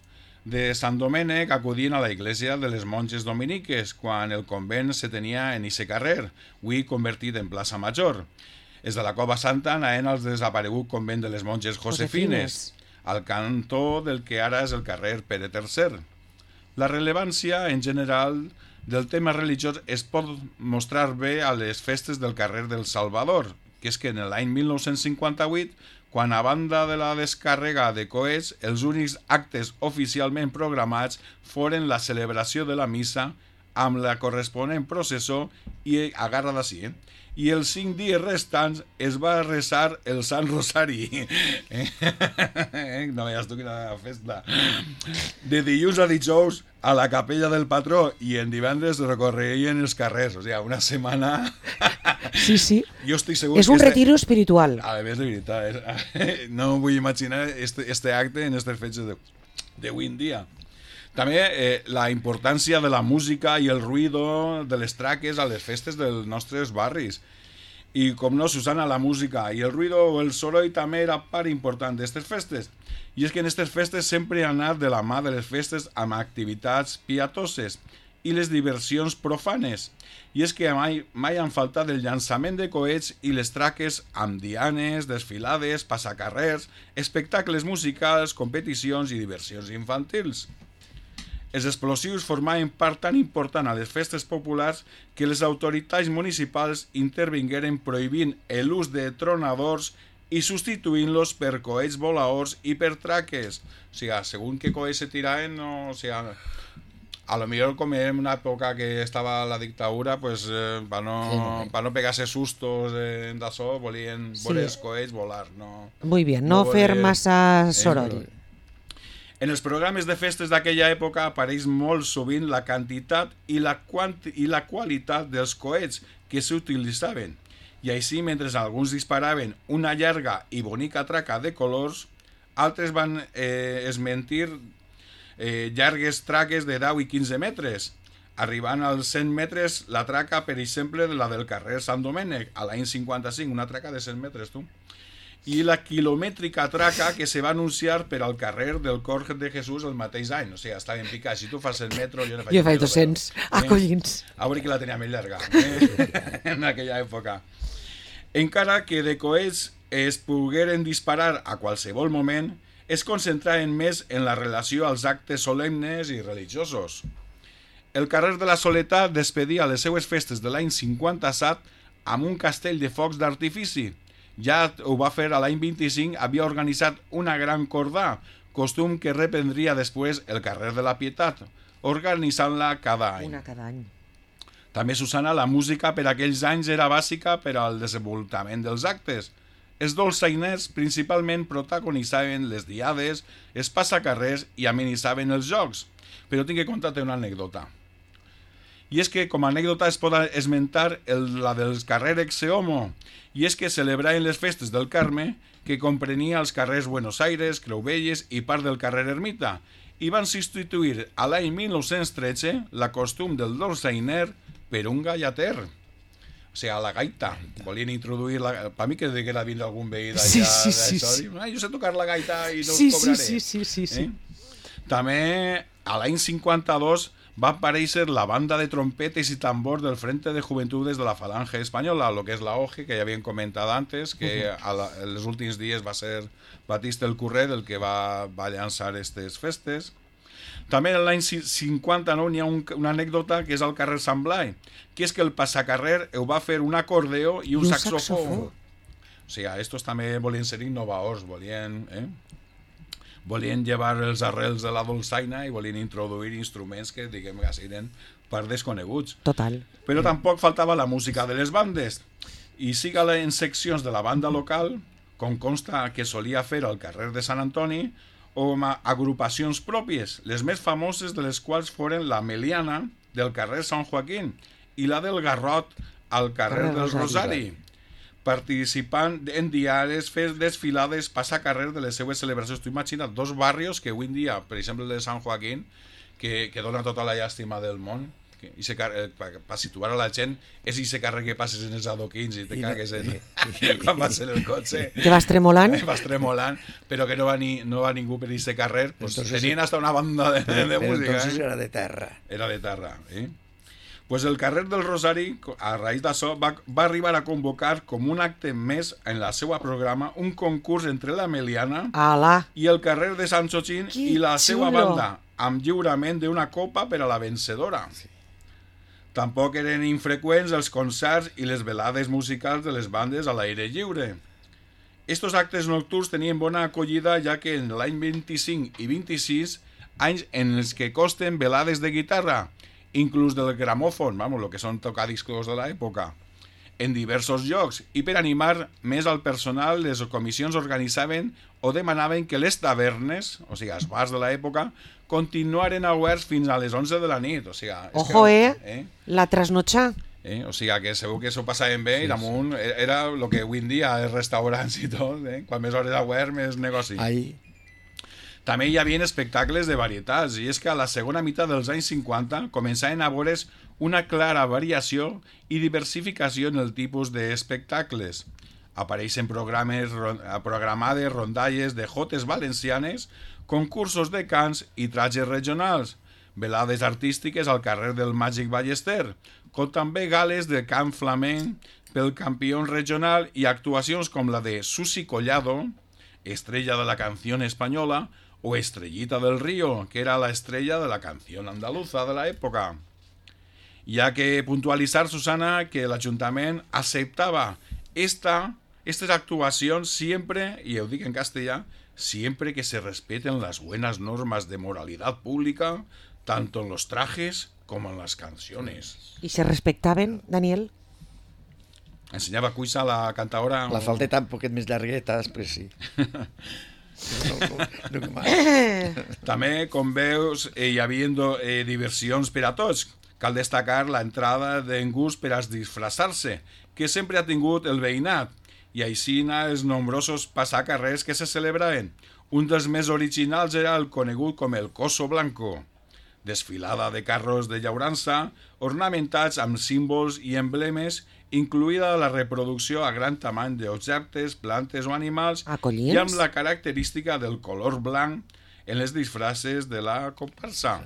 de Sant Domènec acudien a la iglesia de les monges dominiques quan el convent se tenia en ixe carrer, avui convertit en plaça Major. Els de la Cova Santa anaven al desaparegut convent de les monges Josefines, al cantó del que ara és el carrer Pere III. La rellevància, en general, del tema religiós es pot mostrar bé a les festes del carrer del Salvador, que és que en l'any 1958, quan a banda de la descàrrega de coets, els únics actes oficialment programats foren la celebració de la missa amb la corresponent processó i agarra d'ací, i els 5 dies restants es va resar el Sant Rosari. No veies tu quina festa. De dilluns a dijous a la capella del patró i en divendres recorreien els carrers. O sigui, una setmana... Sí. Jo estic segur és un retiro espiritual. A més, de veritat. No vull imaginar este acte en aquestes fetges d'avui en dia. També la importància de la música i el ruïdo de les traques a les festes dels nostres barris. I com no, Susana, la música i el ruïdo o el soroll també era part important d'aquestes festes. I és que en aquestes festes sempre ha anat de la mà de les festes amb activitats pietoses i les diversions profanes. I és que mai han faltat el llançament de coets i les traques amb dianes, desfilades, passacarrers, espectacles musicals, competicions i diversions infantils. Els explosius formaven part tan important a les festes populars que les autoritats municipals intervingueren prohibint l'ús de tronadors i substituint-los per coets voladors i per traques. O sigui, segons què coets se tiraven, no, o sigui, a lo millor com en una època que estava la dictadura, pues, per no pegar-se sustos d'això, volien veure els coets volar. No, muy bien, no fer massa soroll. En els programes de festes d'aquella època apareix molt sovint la quantitat i la qualitat dels coets que s'utilitzaven. I així, mentre alguns disparaven una llarga i bonica traca de colors, altres van esmentir llargues traques de 10 i 15 metres, arribant als 100 metres la traca, per exemple, la del carrer Sant Domènec, a l'any 55, una traca de 100 metres, tu. I la quilomètrica traca que se va anunciar per al carrer del Cor de Jesús el mateix any. O sigui, estaven picats. Si tu fas el metro, jo ne faig 200. Collins. A veure qui la tenia més llarga en aquella època. Encara que de coets es pogueren disparar a qualsevol moment, es concentraven més en la relació als actes solemnes i religiosos. El carrer de la Soledat despedia les seues festes de l'any 57 amb un castell de focs d'artifici. Ja ho va fer a l'any 25, havia organitzat una gran cordà, costum que reprendria després el carrer de la Pietat, organitzant-la cada any. Una cada any. També, Susana, la música per aquells anys era bàsica per al desenvolupament dels actes. Els dolçainers principalment protagonitzaven les diades, els passacarrers i amenitzaven els jocs. Però tinc que contar-te una anècdota. I és que, com a anècdota, es pot esmentar la del carrer Exeomo, i és que celebraven les festes del Carme, que comprenia els carrers Buenos Aires, Creuvelles i part del carrer Ermita, i van substituir a l'any 1913 la costum del dolçainer per un gallater. O sigui, a la gaita. Volien introduir la... Per mi que deguera vindre algun veí d'allà. Sí. Jo sé tocar la gaita i no us cobraré. Sí. També, a l'any 52, va aparèixer la banda de trompetes i tambors del Frente de Juventudes de la Falange Espanyola, lo que és la OGE, que ja havien comentat antes, que els últims dies va ser Batista el Curret el que va llançar aquestes festes. També l'any 59 n'hi ha una anècdota que és al carrer Sant Blai, que és que el passacarrer ho va fer un acordeó i un saxofó. O sigui, estos també volien ser innovadors, volien llevar els arrels de la dolçaina i volien introduir instruments que, diguem, que siguin per desconeguts. Total. Però tampoc faltava la música de les bandes. I siga en seccions de la banda local, com consta que solia fer al carrer de Sant Antoni, o amb agrupacions pròpies, les més famoses de les quals foren la Meliana del carrer Sant Joaquín i la del Garrot al carrer del Rosari, participant en diaris, fes desfilades, passacarrer de les seues celebracions. Tu imagina't dos barrios que avui en dia, per exemple el de Sant Joaquín, que dona tota la llàstima del món, per situar a la gent, és aquest carrer que passes en els adoquins i te cagues quan vas en el cotxe. Que vas tremolant. Vas tremolant, però que no va ningú per aquest carrer. Pues tenien hasta una banda de música. Entonces era de terra. Era de terra, Pues el carrer del Rosari, a raïs d'això, va arribar a convocar com un acte més en la seva programa un concurs entre la Meliana i el carrer de Sant Xochín i la seva banda, amb lliurament d'una copa per a la vencedora. Sí. Tampoc eren infreqüents els concerts i les velades musicals de les bandes a l'aire lliure. Estos actes nocturns tenien bona acollida, ja que en l'any 25 i 26, anys en els que costen velades de guitarra, inclús del gramòfon, el que són tocadiscos de l'època, en diversos llocs, i per animar més al personal, les comissions organitzaven o demanaven que les tavernes, o sigui, els bars de l'època, continuaren oberts fins a les 11 de la nit. O sigui, Ojo, la trasnotxa. O sigui, que segur que s'ho passaven bé i damunt era el que avui en dia els restaurants i tot, quan més hores obert, més negoci. També hi havia espectacles de varietats, i és que a la segona meitat dels anys 50 començaven a veure's una clara variació i diversificació en el tipus d'espectacles. Apareixen programades rondalles de jotes valencianes, concursos de cants i trajes regionals, velades artístiques al carrer del Màgic Ballester, com també gales de cant flamenc pel campió regional i actuacions com la de Susi Collado, estrella de la canción española, o Estrellita del Río, que era la estrella de la canción andaluza de la època. Hi ha que puntualitzar, Susana, que l'Ajuntament acceptava estas actuacions siempre, y ho dic en castellà, siempre que se respeten las buenas normas de moralidad pública, tanto en los trajes como en las canciones. ¿Y se respectaven, Daniel? Ensenyava cuisa la cantadora... La falteta un poquet més llargueta, després sí. També, com veus, hi havia diversions per a tots. Cal destacar l'entrada d'en gust per a disfressar-se, que sempre ha tingut el veïnat, i així els nombrosos passacarrers que se celebraven. Un dels més originals era el conegut com el Coso Blanco, desfilada de carros de llaurança, ornamentats amb símbols i emblemes, incluïda la reproducció a gran tamany d'objectes, plantes o animals, i amb la característica del color blanc en les disfresses de la comparsa.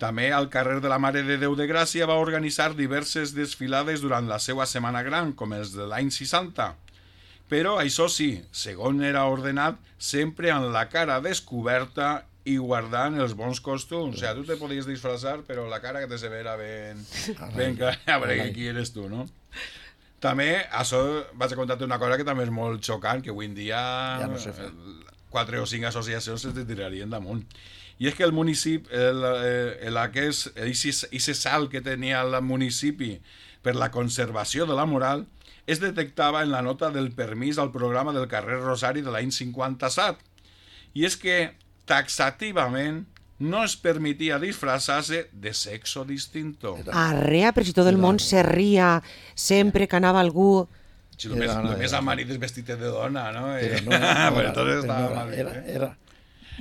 També al carrer de la Mare de Déu de Gràcia va organitzar diverses desfilades durant la seva Setmana Gran, com els de l'any 60. Però això sí, segons era ordenat, sempre amb la cara descoberta i guardant els bons costums. O sigui, tu te podies disfressar, però la cara que te se vera ben clara, a veure qui eres tu, no? També, això vaig a contar-te una cosa que també és molt xocant, que avui en dia 4 o 5 associacions se tirarien damunt. I és que el municipi, aquest salt que tenia el municipi per la conservació de la moral, es detectava en la nota del permís al programa del carrer Rosari de l'any 57. I és que taxativament no es permitia disfraçar-se de sexo distinto. Arrea, però si tot el món se ria sempre que anava algú... Si només el marit és vestit de dona, no? Era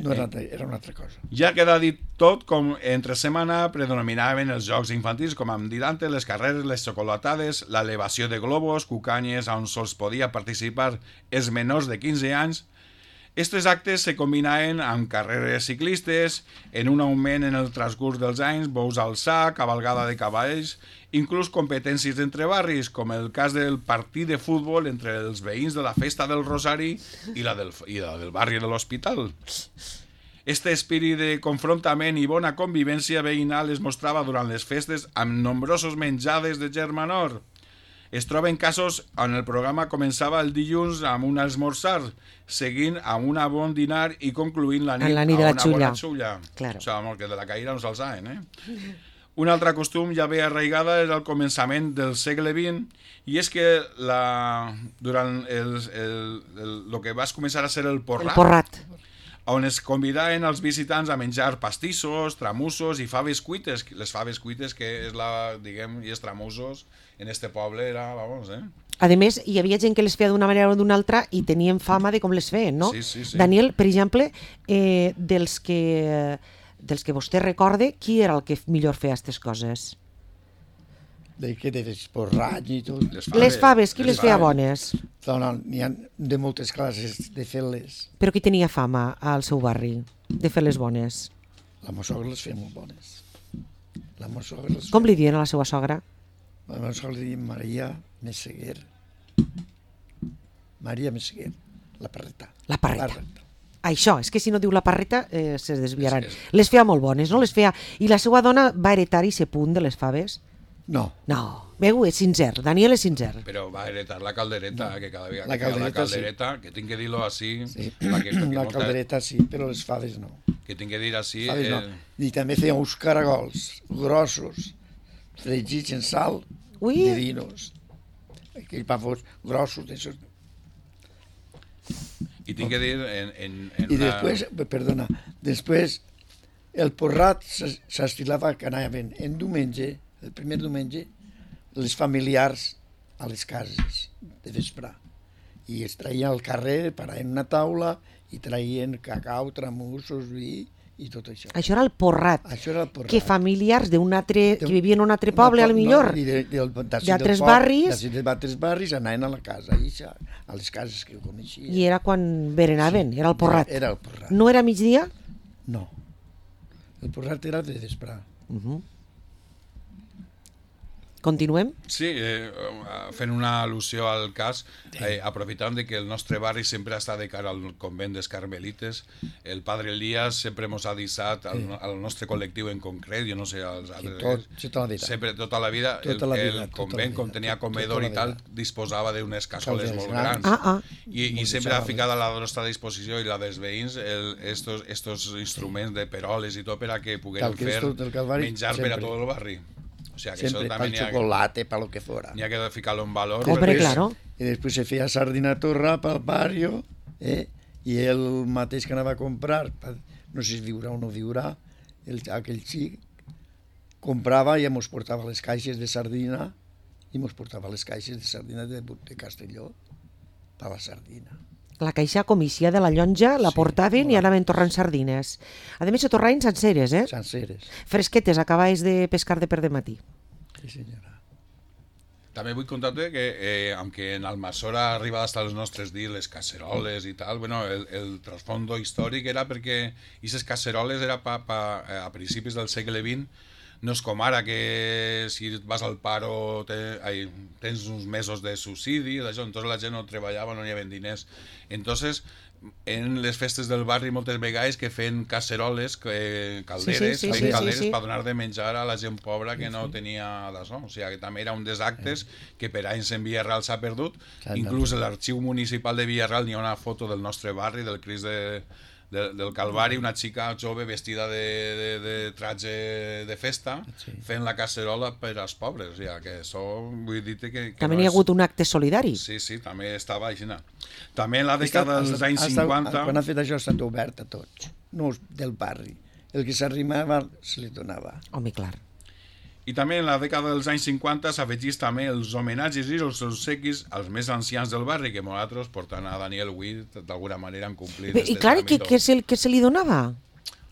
una altra cosa. Ja queda dit tot, com entre setmana predominaven els jocs infantils, com hem dit antes, les carreres, les xocolatades, l'elevació de globus, cucanyes on sols podia participar els menors de 15 anys. Estos actes se combinaven amb carreres ciclistes, en un augment en el transcurs dels anys, bous al sac, cavalgada de cavalls, inclús competències entre barris, com el cas del partit de futbol entre els veïns de la Festa del Rosari i la del barri de l'Hospital. Este espírit de confrontament i bona convivència veïnal es mostrava durant les festes amb nombrosos menjades de germanor. Es troben casos on el programa començava el dilluns amb un esmorzar, seguint amb un bon dinar i concluint la nit amb una bona xulla. Claro. O sigui, que de la caïra no se'ls saben, Un altre costum ja ve arraigada és el començament del segle XX, i és que durant el que va començar a ser el porrat, on es convidaven els visitants a menjar pastissos, tramussos i faves cuites. Les faves cuites, que és i els tramussos, en este poble era, A més, hi havia gent que les feia d'una manera o d'una altra i tenien fama de com les feien, no? Sí. Daniel, per exemple, dels que vostè recorde, qui era el que millor feia aquestes coses? De l'esporrany i tot. Les faves, qui les feia bones? N'hi ha de moltes classes de fer-les. Però qui tenia fama al seu barri de fer les bones? La meva sogra les feia molt bones. Com li diuen a la seva sogra? La meva sogra li diuen Maria Messeguer. La parreta. La parreta. Això, és que si no diu la parreta se desviaran. Les feia molt bones, no? I la seva dona va heretar i ser punt de les faves? No. Veu, és sincer, Daniel és sincer. Però va heretar la caldereta, que cada vegada que feia la caldereta, que tinc que dir-lo així... Sí, la caldereta sí, però les faves no. que tinc que dir així... Sabes, no? I també feien uns caragols grossos, fregits en sal, Ui. divinos. Aquells pavos grossos, d'això. I tinc que dir... I després, perdona, després el porrat s'estilava que anaven en diumenge, el primer diumenge, les familiars a les cases de vespre. I es traien al carrer, paraven una taula i traien cacau, tramussos, vi i tot això. Això era el porrat. Això era el porrat. Que familiars d'un altre, que vivien en un altre poble, al millor, d'altres barris, d'altres barris anaven a la casa, a les cases que ho coneixien. i era quan berenaven, era el porrat. Era el porrat. No era migdia? No. El porrat era de vespre. Continuem? Sí, fent una al·lusió al cas, aprofitant de que el nostre barri sempre està de cara al convent dels Carmelites, el Padre Elías sempre ens ha deixat al nostre col·lectiu en concret, jo no sé, als altres... Tota la vida. Sempre, tota la vida, el convent, com tenia comedor i tal, disposava d'unes cassoles molt grans. I sempre ha ficat a la nostra disposició i la dels veïns estos instruments de peroles i tot per a que pogueren fer menjar per a tot el barri. O sea, que siempre para el chocolate, para lo que fuera. Ni hay que fijarlo en valor. Hombre, claro. Y después se feia sardina torra pel barrio, i el mateix que anava a comprar, no sé si viurà o no viurà, aquell xic, comprava i ens portava les caixes de sardina, i ens portava les caixes de sardina de Castelló, per la sardina. La caixa comissia de la llonja la portaven i anaven torrant sardines. A més, se torraven senceres, Senceres. Fresquetes, acabais de pescar de per de matí. Sí, senyora. També vull contar-te que, aunque en Almassora ha arribat hasta els nostres dies les caceroles i tal, bueno, el trasfondo històric era perquè aquestes caceroles era a principis del segle XX. No és com ara que si vas al paro tens uns mesos de subsidi, d'això, entonces la gent no treballava, no hi havia diners. Entonces, en les festes del barri moltes vegades que feien caceroles, calderes, per donar de menjar a la gent pobra que no tenia d'això. O sigui, que també era un dels actes que per anys en Villarreal s'ha perdut. Inclús a l'arxiu municipal de Villarreal n'hi ha una foto del nostre barri, del Crist del Calvari, una xica jove vestida de traje de festa, fent la casserola per als pobres. O sigui, que això vull dir-te que també n'hi ha hagut un acte solidari. Sí, també estava així. També en la dècada dels anys 50... Quan ha fet això ha estat obert a tots, no del barri. El que s'arrimava se li donava. Home, clar. I també en la dècada dels anys 50 s'afegís també els homenatges i els obsequis als més ancians del barri, que nosaltres, portant a Daniel Witt, d'alguna manera han complit. I clar, què se li donava?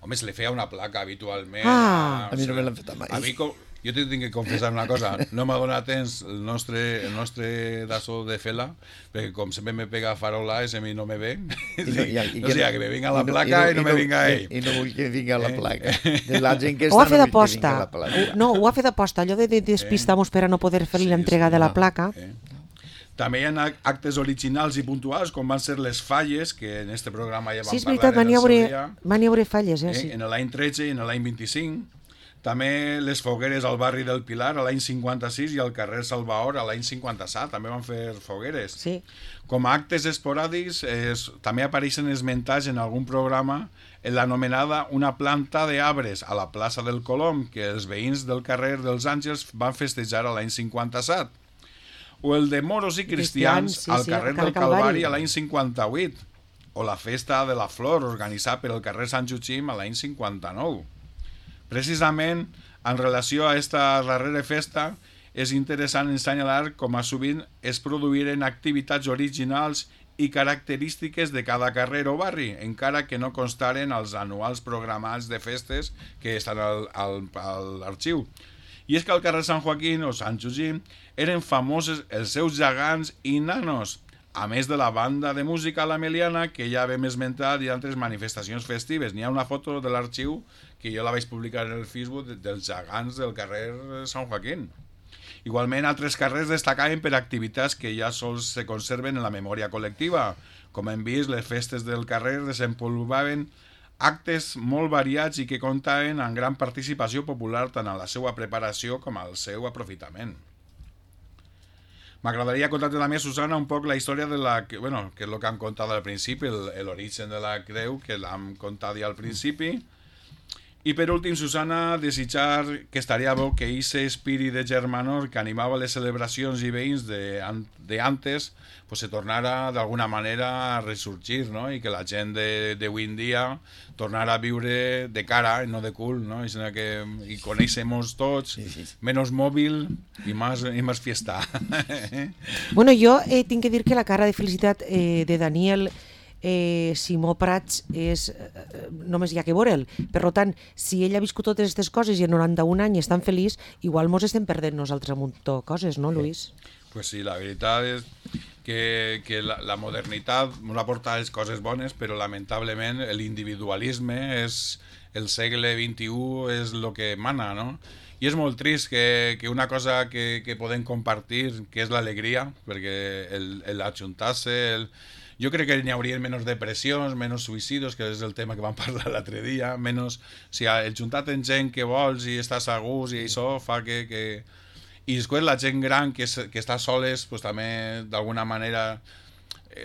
Home, se li feia una placa habitualment. A mi no me l'han fet mai. A mi, jo t'he de confessar una cosa, no m'ha donat temps el nostre daso de fela, perquè com sempre me pega farolades, a mi no me ven. O sigui, que me vinga la placa i no me vinga ell. I no vull que vinga la placa. De la gent que ho ha fet no vull que d'aposta. vinga la placa. No, ho ha fet d'aposta, allò de despistar-nos per a no poder fer l'entrega de la placa. També hi ha actes originals i puntuals, com van ser les falles, que en este programa ja vam sí, és parlar veritat, en el seu dia. van hi haure falles, sí. En l'any 13 i en l'any 25. També les fogueres al barri del Pilar a l'any 56 i al carrer Salvador a l'any 57, també van fer fogueres. Sí. Com a actes esporàdics, també apareixen esmentats en algun programa en l'anomenada una planta d'arbres a la plaça del Colom, que els veïns del carrer dels Àngels van festejar a l'any 57. O el de moros i cristians al carrer del Calvari a l'any 58. O la festa de la flor organitzada per el carrer Sant Joaquim a l'any 59. Precisament, en relació a aquesta darrera festa, és interessant assenyalar com a sovint es produïren activitats originals i característiques de cada carrer o barri, encara que no constaren als anuals programats de festes que estan a l'arxiu. I és que al carrer Sant Joaquín o Sant Joaquim eren famosos els seus gegants i nanos, a més de la banda de música La Meliana, que ja vam esmentat, i altres manifestacions festives. N'hi ha una foto de l'arxiu que jo la vaig publicar en el Facebook dels gegants del carrer Sant Joaquín. Igualment, altres carrers destacaven per activitats que ja sols se conserven en la memòria col·lectiva. Com hem vist, les festes del carrer desenvolupaven actes molt variats i que comptaven amb gran participació popular tant a la seva preparació com al seu aprofitament. M'agradaria contar-te també, Susana, un poc la història de la... Bueno, que és el que hem contat al principi, l'origen de la creu, que l'hem contat ja al principi. I per últim, Susana, desitjar que estaria bo que aquest espírit de germanor que animava les celebracions i veïns d'antes pues se tornara d'alguna manera a ressorgir, no? I que la gent d'avui en dia tornara a viure de cara i no de cul, no? I coneixemos tots, menos mòbil i más fiesta. Bueno, jo tinc que dir que la cara de felicitat de Daniel Simó Prats és només hi ha que veure'l. Per tant, si ell ha viscut totes aquestes coses i en 91 anys és tan feliç, igual mos estem perdent nosaltres un munt de coses, no, Luis? Pues sí, la veritat és que la modernitat ens ha portat les coses bones, però lamentablement l'individualisme és el segle XXI és el que mana, no? I és molt trist que una cosa que podem compartir, que és l'alegria, perquè l'ajuntar-se, jo crec que n'hi hauria menys depressions, menys suïcidis, que és el tema que vam parlar l'altre dia, menys... O sigui, el juntar amb gent que vols i estàs a gust i això fa que... I després la gent gran que està soles, pues, també d'alguna manera...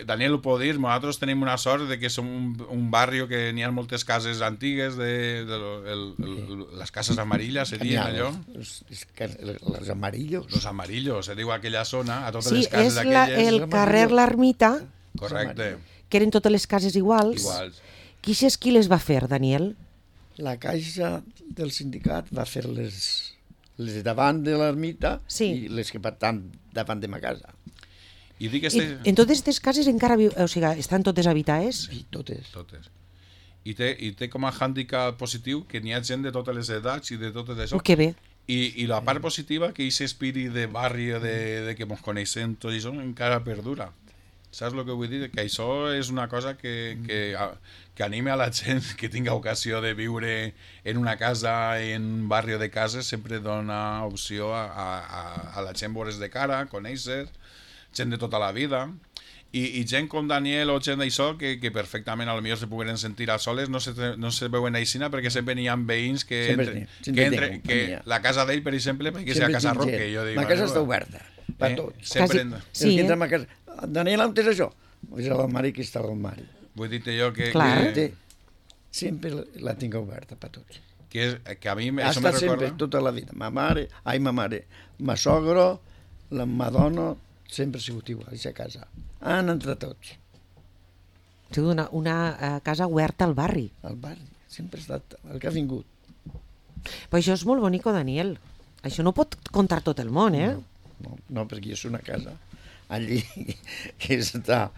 Daniel ho pot dir, nosaltres tenim una sort de que som un barri que n'hi ha moltes cases antigues, les cases amarillas, se diuen allò? Els amarillos. Los amarillos, se diu aquella zona, a totes sí, les cases Sí, aquelles. és el carrer L'Ermita, Correcte. que eren totes les cases iguals. Qui és qui les va fer, Daniel? La caixa del sindicat va fer les davant de l'ermita i les que estan davant de ma casa. I en totes aquestes cases encara o sigui, estan totes habitades? Sí, totes. I té com a hàndicap positiu que n'hi ha gent de totes les edats i de totes això. Que bé. I la part positiva, que aquest espírit de barri, de que ens coneixem tot això, encara perdura. Saps el que vull dir? Que això és una cosa que anime a la gent que tinga ocasió de viure en una casa, en un barri de cases, sempre dona opció a la gent veure's de cara, conèixer, gent de tota la vida, i gent com Daniel o gent d'això que perfectament potser se pogueren sentir a soles, no se veuen aixina perquè sempre n'hi ha veïns que la casa d'ell, per exemple, perquè sigui a Casa Roque. La casa està oberta per tots. Sí, entra a casa. Daniel, on és això? És a l'armari, que està a l'armari. Vull dir-te jo que... Sempre la tinc oberta per tots. Que a mi això me recorda... sempre, tota la vida. Ma mare, ma sogro, ma dona, sempre ha sigut igual, a casa. Han entrat tots. Ha sigut una casa oberta al barri. Al barri, sempre ha estat el que ha vingut. Però això és molt bonic, Daniel. Això no pot contar tot el món, eh? No, perquè és una casa allí que està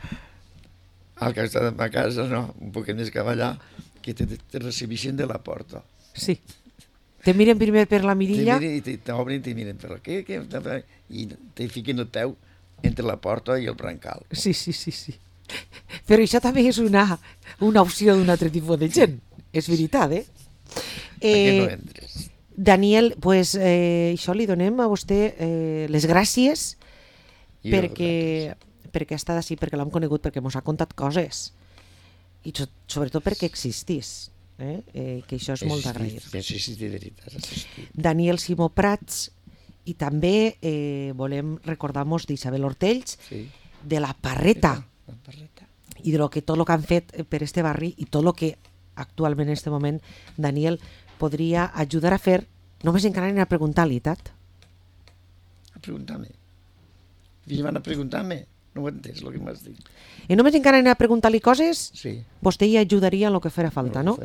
al costat de ma casa, no, un poc més que allà, que te recibeixen de la porta. Sí. Te miren primer per la mirilla. T'obren i te miren per aquí, i te fiquen el peu entre la porta i el brancal. Sí. Però això també és una opció d'un altre tipus de gent. És veritat, eh? Aquí no entres. Daniel, pues, això li donem a vostè les gràcies perquè ha estat així, perquè l'hem conegut, perquè ens ha contat coses i sobretot perquè existís, que això és molt d'agrair. Daniel Simó Prats, i també volem recordar-nos d'Isabel Ortells, de la Parreta, i de tot el que han fet per este barri i tot el que actualment en aquest moment Daniel podria ajudar a fer. Només encara anem a preguntar-li, Tat. A preguntar-me? I van a preguntar-me? No ho entens, el que m'has dit. I només encara anem a preguntar-li coses? Sí. Vostè hi ajudaria en el que farà falta, no?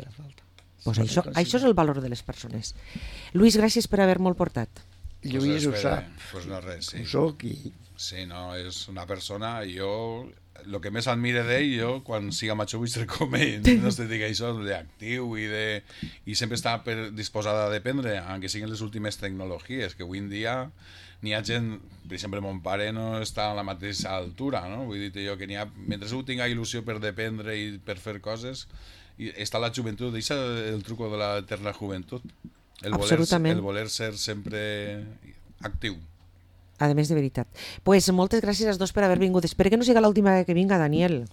Pues això és el valor de les persones. Luis, gràcies per haver-me'l portat. Lluís ho sap. Pues no res, sí. Ho soc i... Sí, no, és una persona, jo... El que més admire d'ell, jo, quan siga major, vull ser com ell, no es dedica a això, d'actiu i sempre està disposada a dependre, aunque siguin les últimes tecnologies, que avui en dia n'hi ha gent, per exemple, mon pare no està a la mateixa altura, no? Vull dir jo que n'hi ha, mentre ell tinga il·lusió per dependre i per fer coses, està la joventut, deixa el truco de l'eterna joventut, el voler ser sempre actiu. A més, de veritat. Pues moltes gràcies als dos per haver vingut. Espero que no sigui l'última que vinga, Daniel.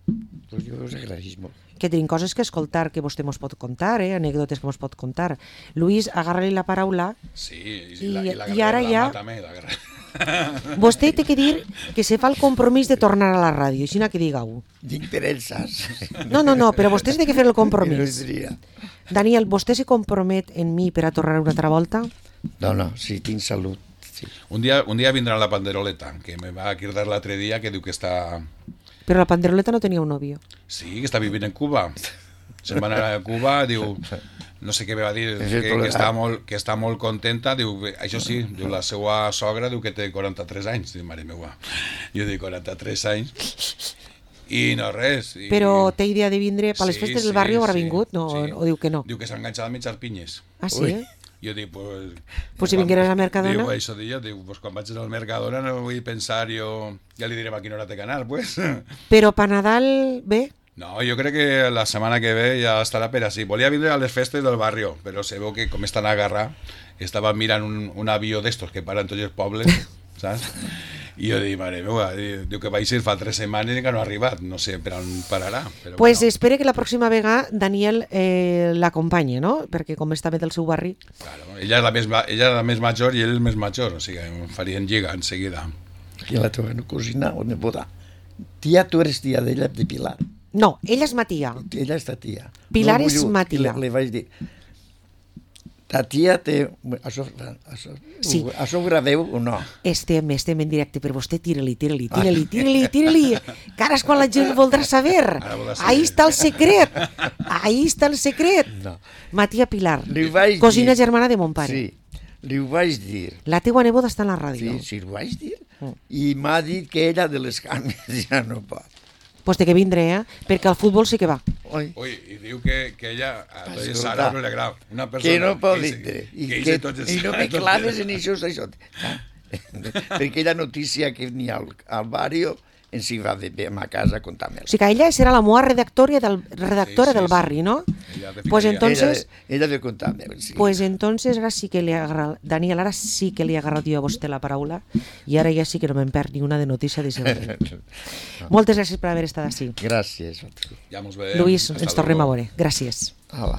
Pues jo us agraïs molt. Que tenim coses que escoltar, que vostè mos pot contar, anècdotes que mos pot contar. Luis, agarra-li la paraula. Sí, i ara ja... també, Vostè té que dir que se fa el compromís de tornar a la ràdio, així que digueu. Dic per ells, saps? No, però vostè té que fer el No compromís. diria. Daniel, vostè se compromet en mi per a tornar una altra volta? No, sí, tinc salut. Sí. Un dia vindrà la panderoleta, que me va cridar l'altre dia, que diu que està... Però la panderoleta no tenia un novio. Sí, que està vivint en Cuba. Se'n va anar a Cuba, diu... No sé què me va dir, que està molt contenta, diu, això sí, diu, la seva sogra diu que té 43 anys, diu, mare meva. Jo dic, 43 anys, i no res. Però té idea de vindre per les festes del barri, haurà vingut? No, sí. o diu que no? Diu que s'ha enganxat a menjar pinyes. Ah, sí? Jo dic, pues... Pues si vingueres a Mercadona... Diu, això dia, diu, pues quan vaig al Mercadona no vull pensar jo... Ja li direm a quina hora té que anar, pues. Però per Nadal, bé? No, jo crec que la setmana que ve ja estarà per així. Volia vindre a les festes del barri, però se veu que com estan agarrats, estava mirant un avió d'estos que paran tots els pobles, saps? I jo dic, mare meva, diu que vaig ir fa 3 setmanes i que no ha arribat, no sé per on pararà. Però Pues bueno. espere que la pròxima vegada Daniel l'acompanye, no? Perquè com està bé del seu barri... Claro, ella és la més major i ell el més major, o sigui, em farien lliga en seguida. I la teva cosina o neboda. Tia, tu eres tia d'ella, de Pilar. No, ella és ma tia. Ella és ta tia. Pilar és ma I tia. li vaig dir, ta tia té... Sí. Això ho graveu o no? Estem en directe, però vostè tira-li. Que ara és quan la gent voldrà saber. voldrà saber. Ahí està el secret. No. Ma tia Pilar, Li vaig cosina dir- germana de mon pare. Sí, li ho vaig dir. La teua neboda està en la ràdio. Sí, ho vaig dir. I m'ha dit que ella de les cames ja no pot. Pues té que vindre, perquè al futbol sí que va. Oi? Ui, i diu que ella, a Escolta, Sara no li agrada, una persona... Que no pot que vindre. I I no me claves en això. Perquè aquella notícia que n'hi ha al barri ens hi va bé a ma casa a contar-me. O sigui que ella serà la meva redactora Sí, del sí. barri, no? Ella de Pues ficaria. entonces... Ella de contar-me. Sí. Pues entonces ara sí que li agarra... Daniel, ara sí que li ha agarrat jo a vostè la paraula i ara ja sí que no me'n perd ni una de notícia de sempre. Moltes gràcies per haver estat així. Gràcies. Ja mos veiem. Lluís, Hasta ens tornem a luego. veure. Gràcies. Hola.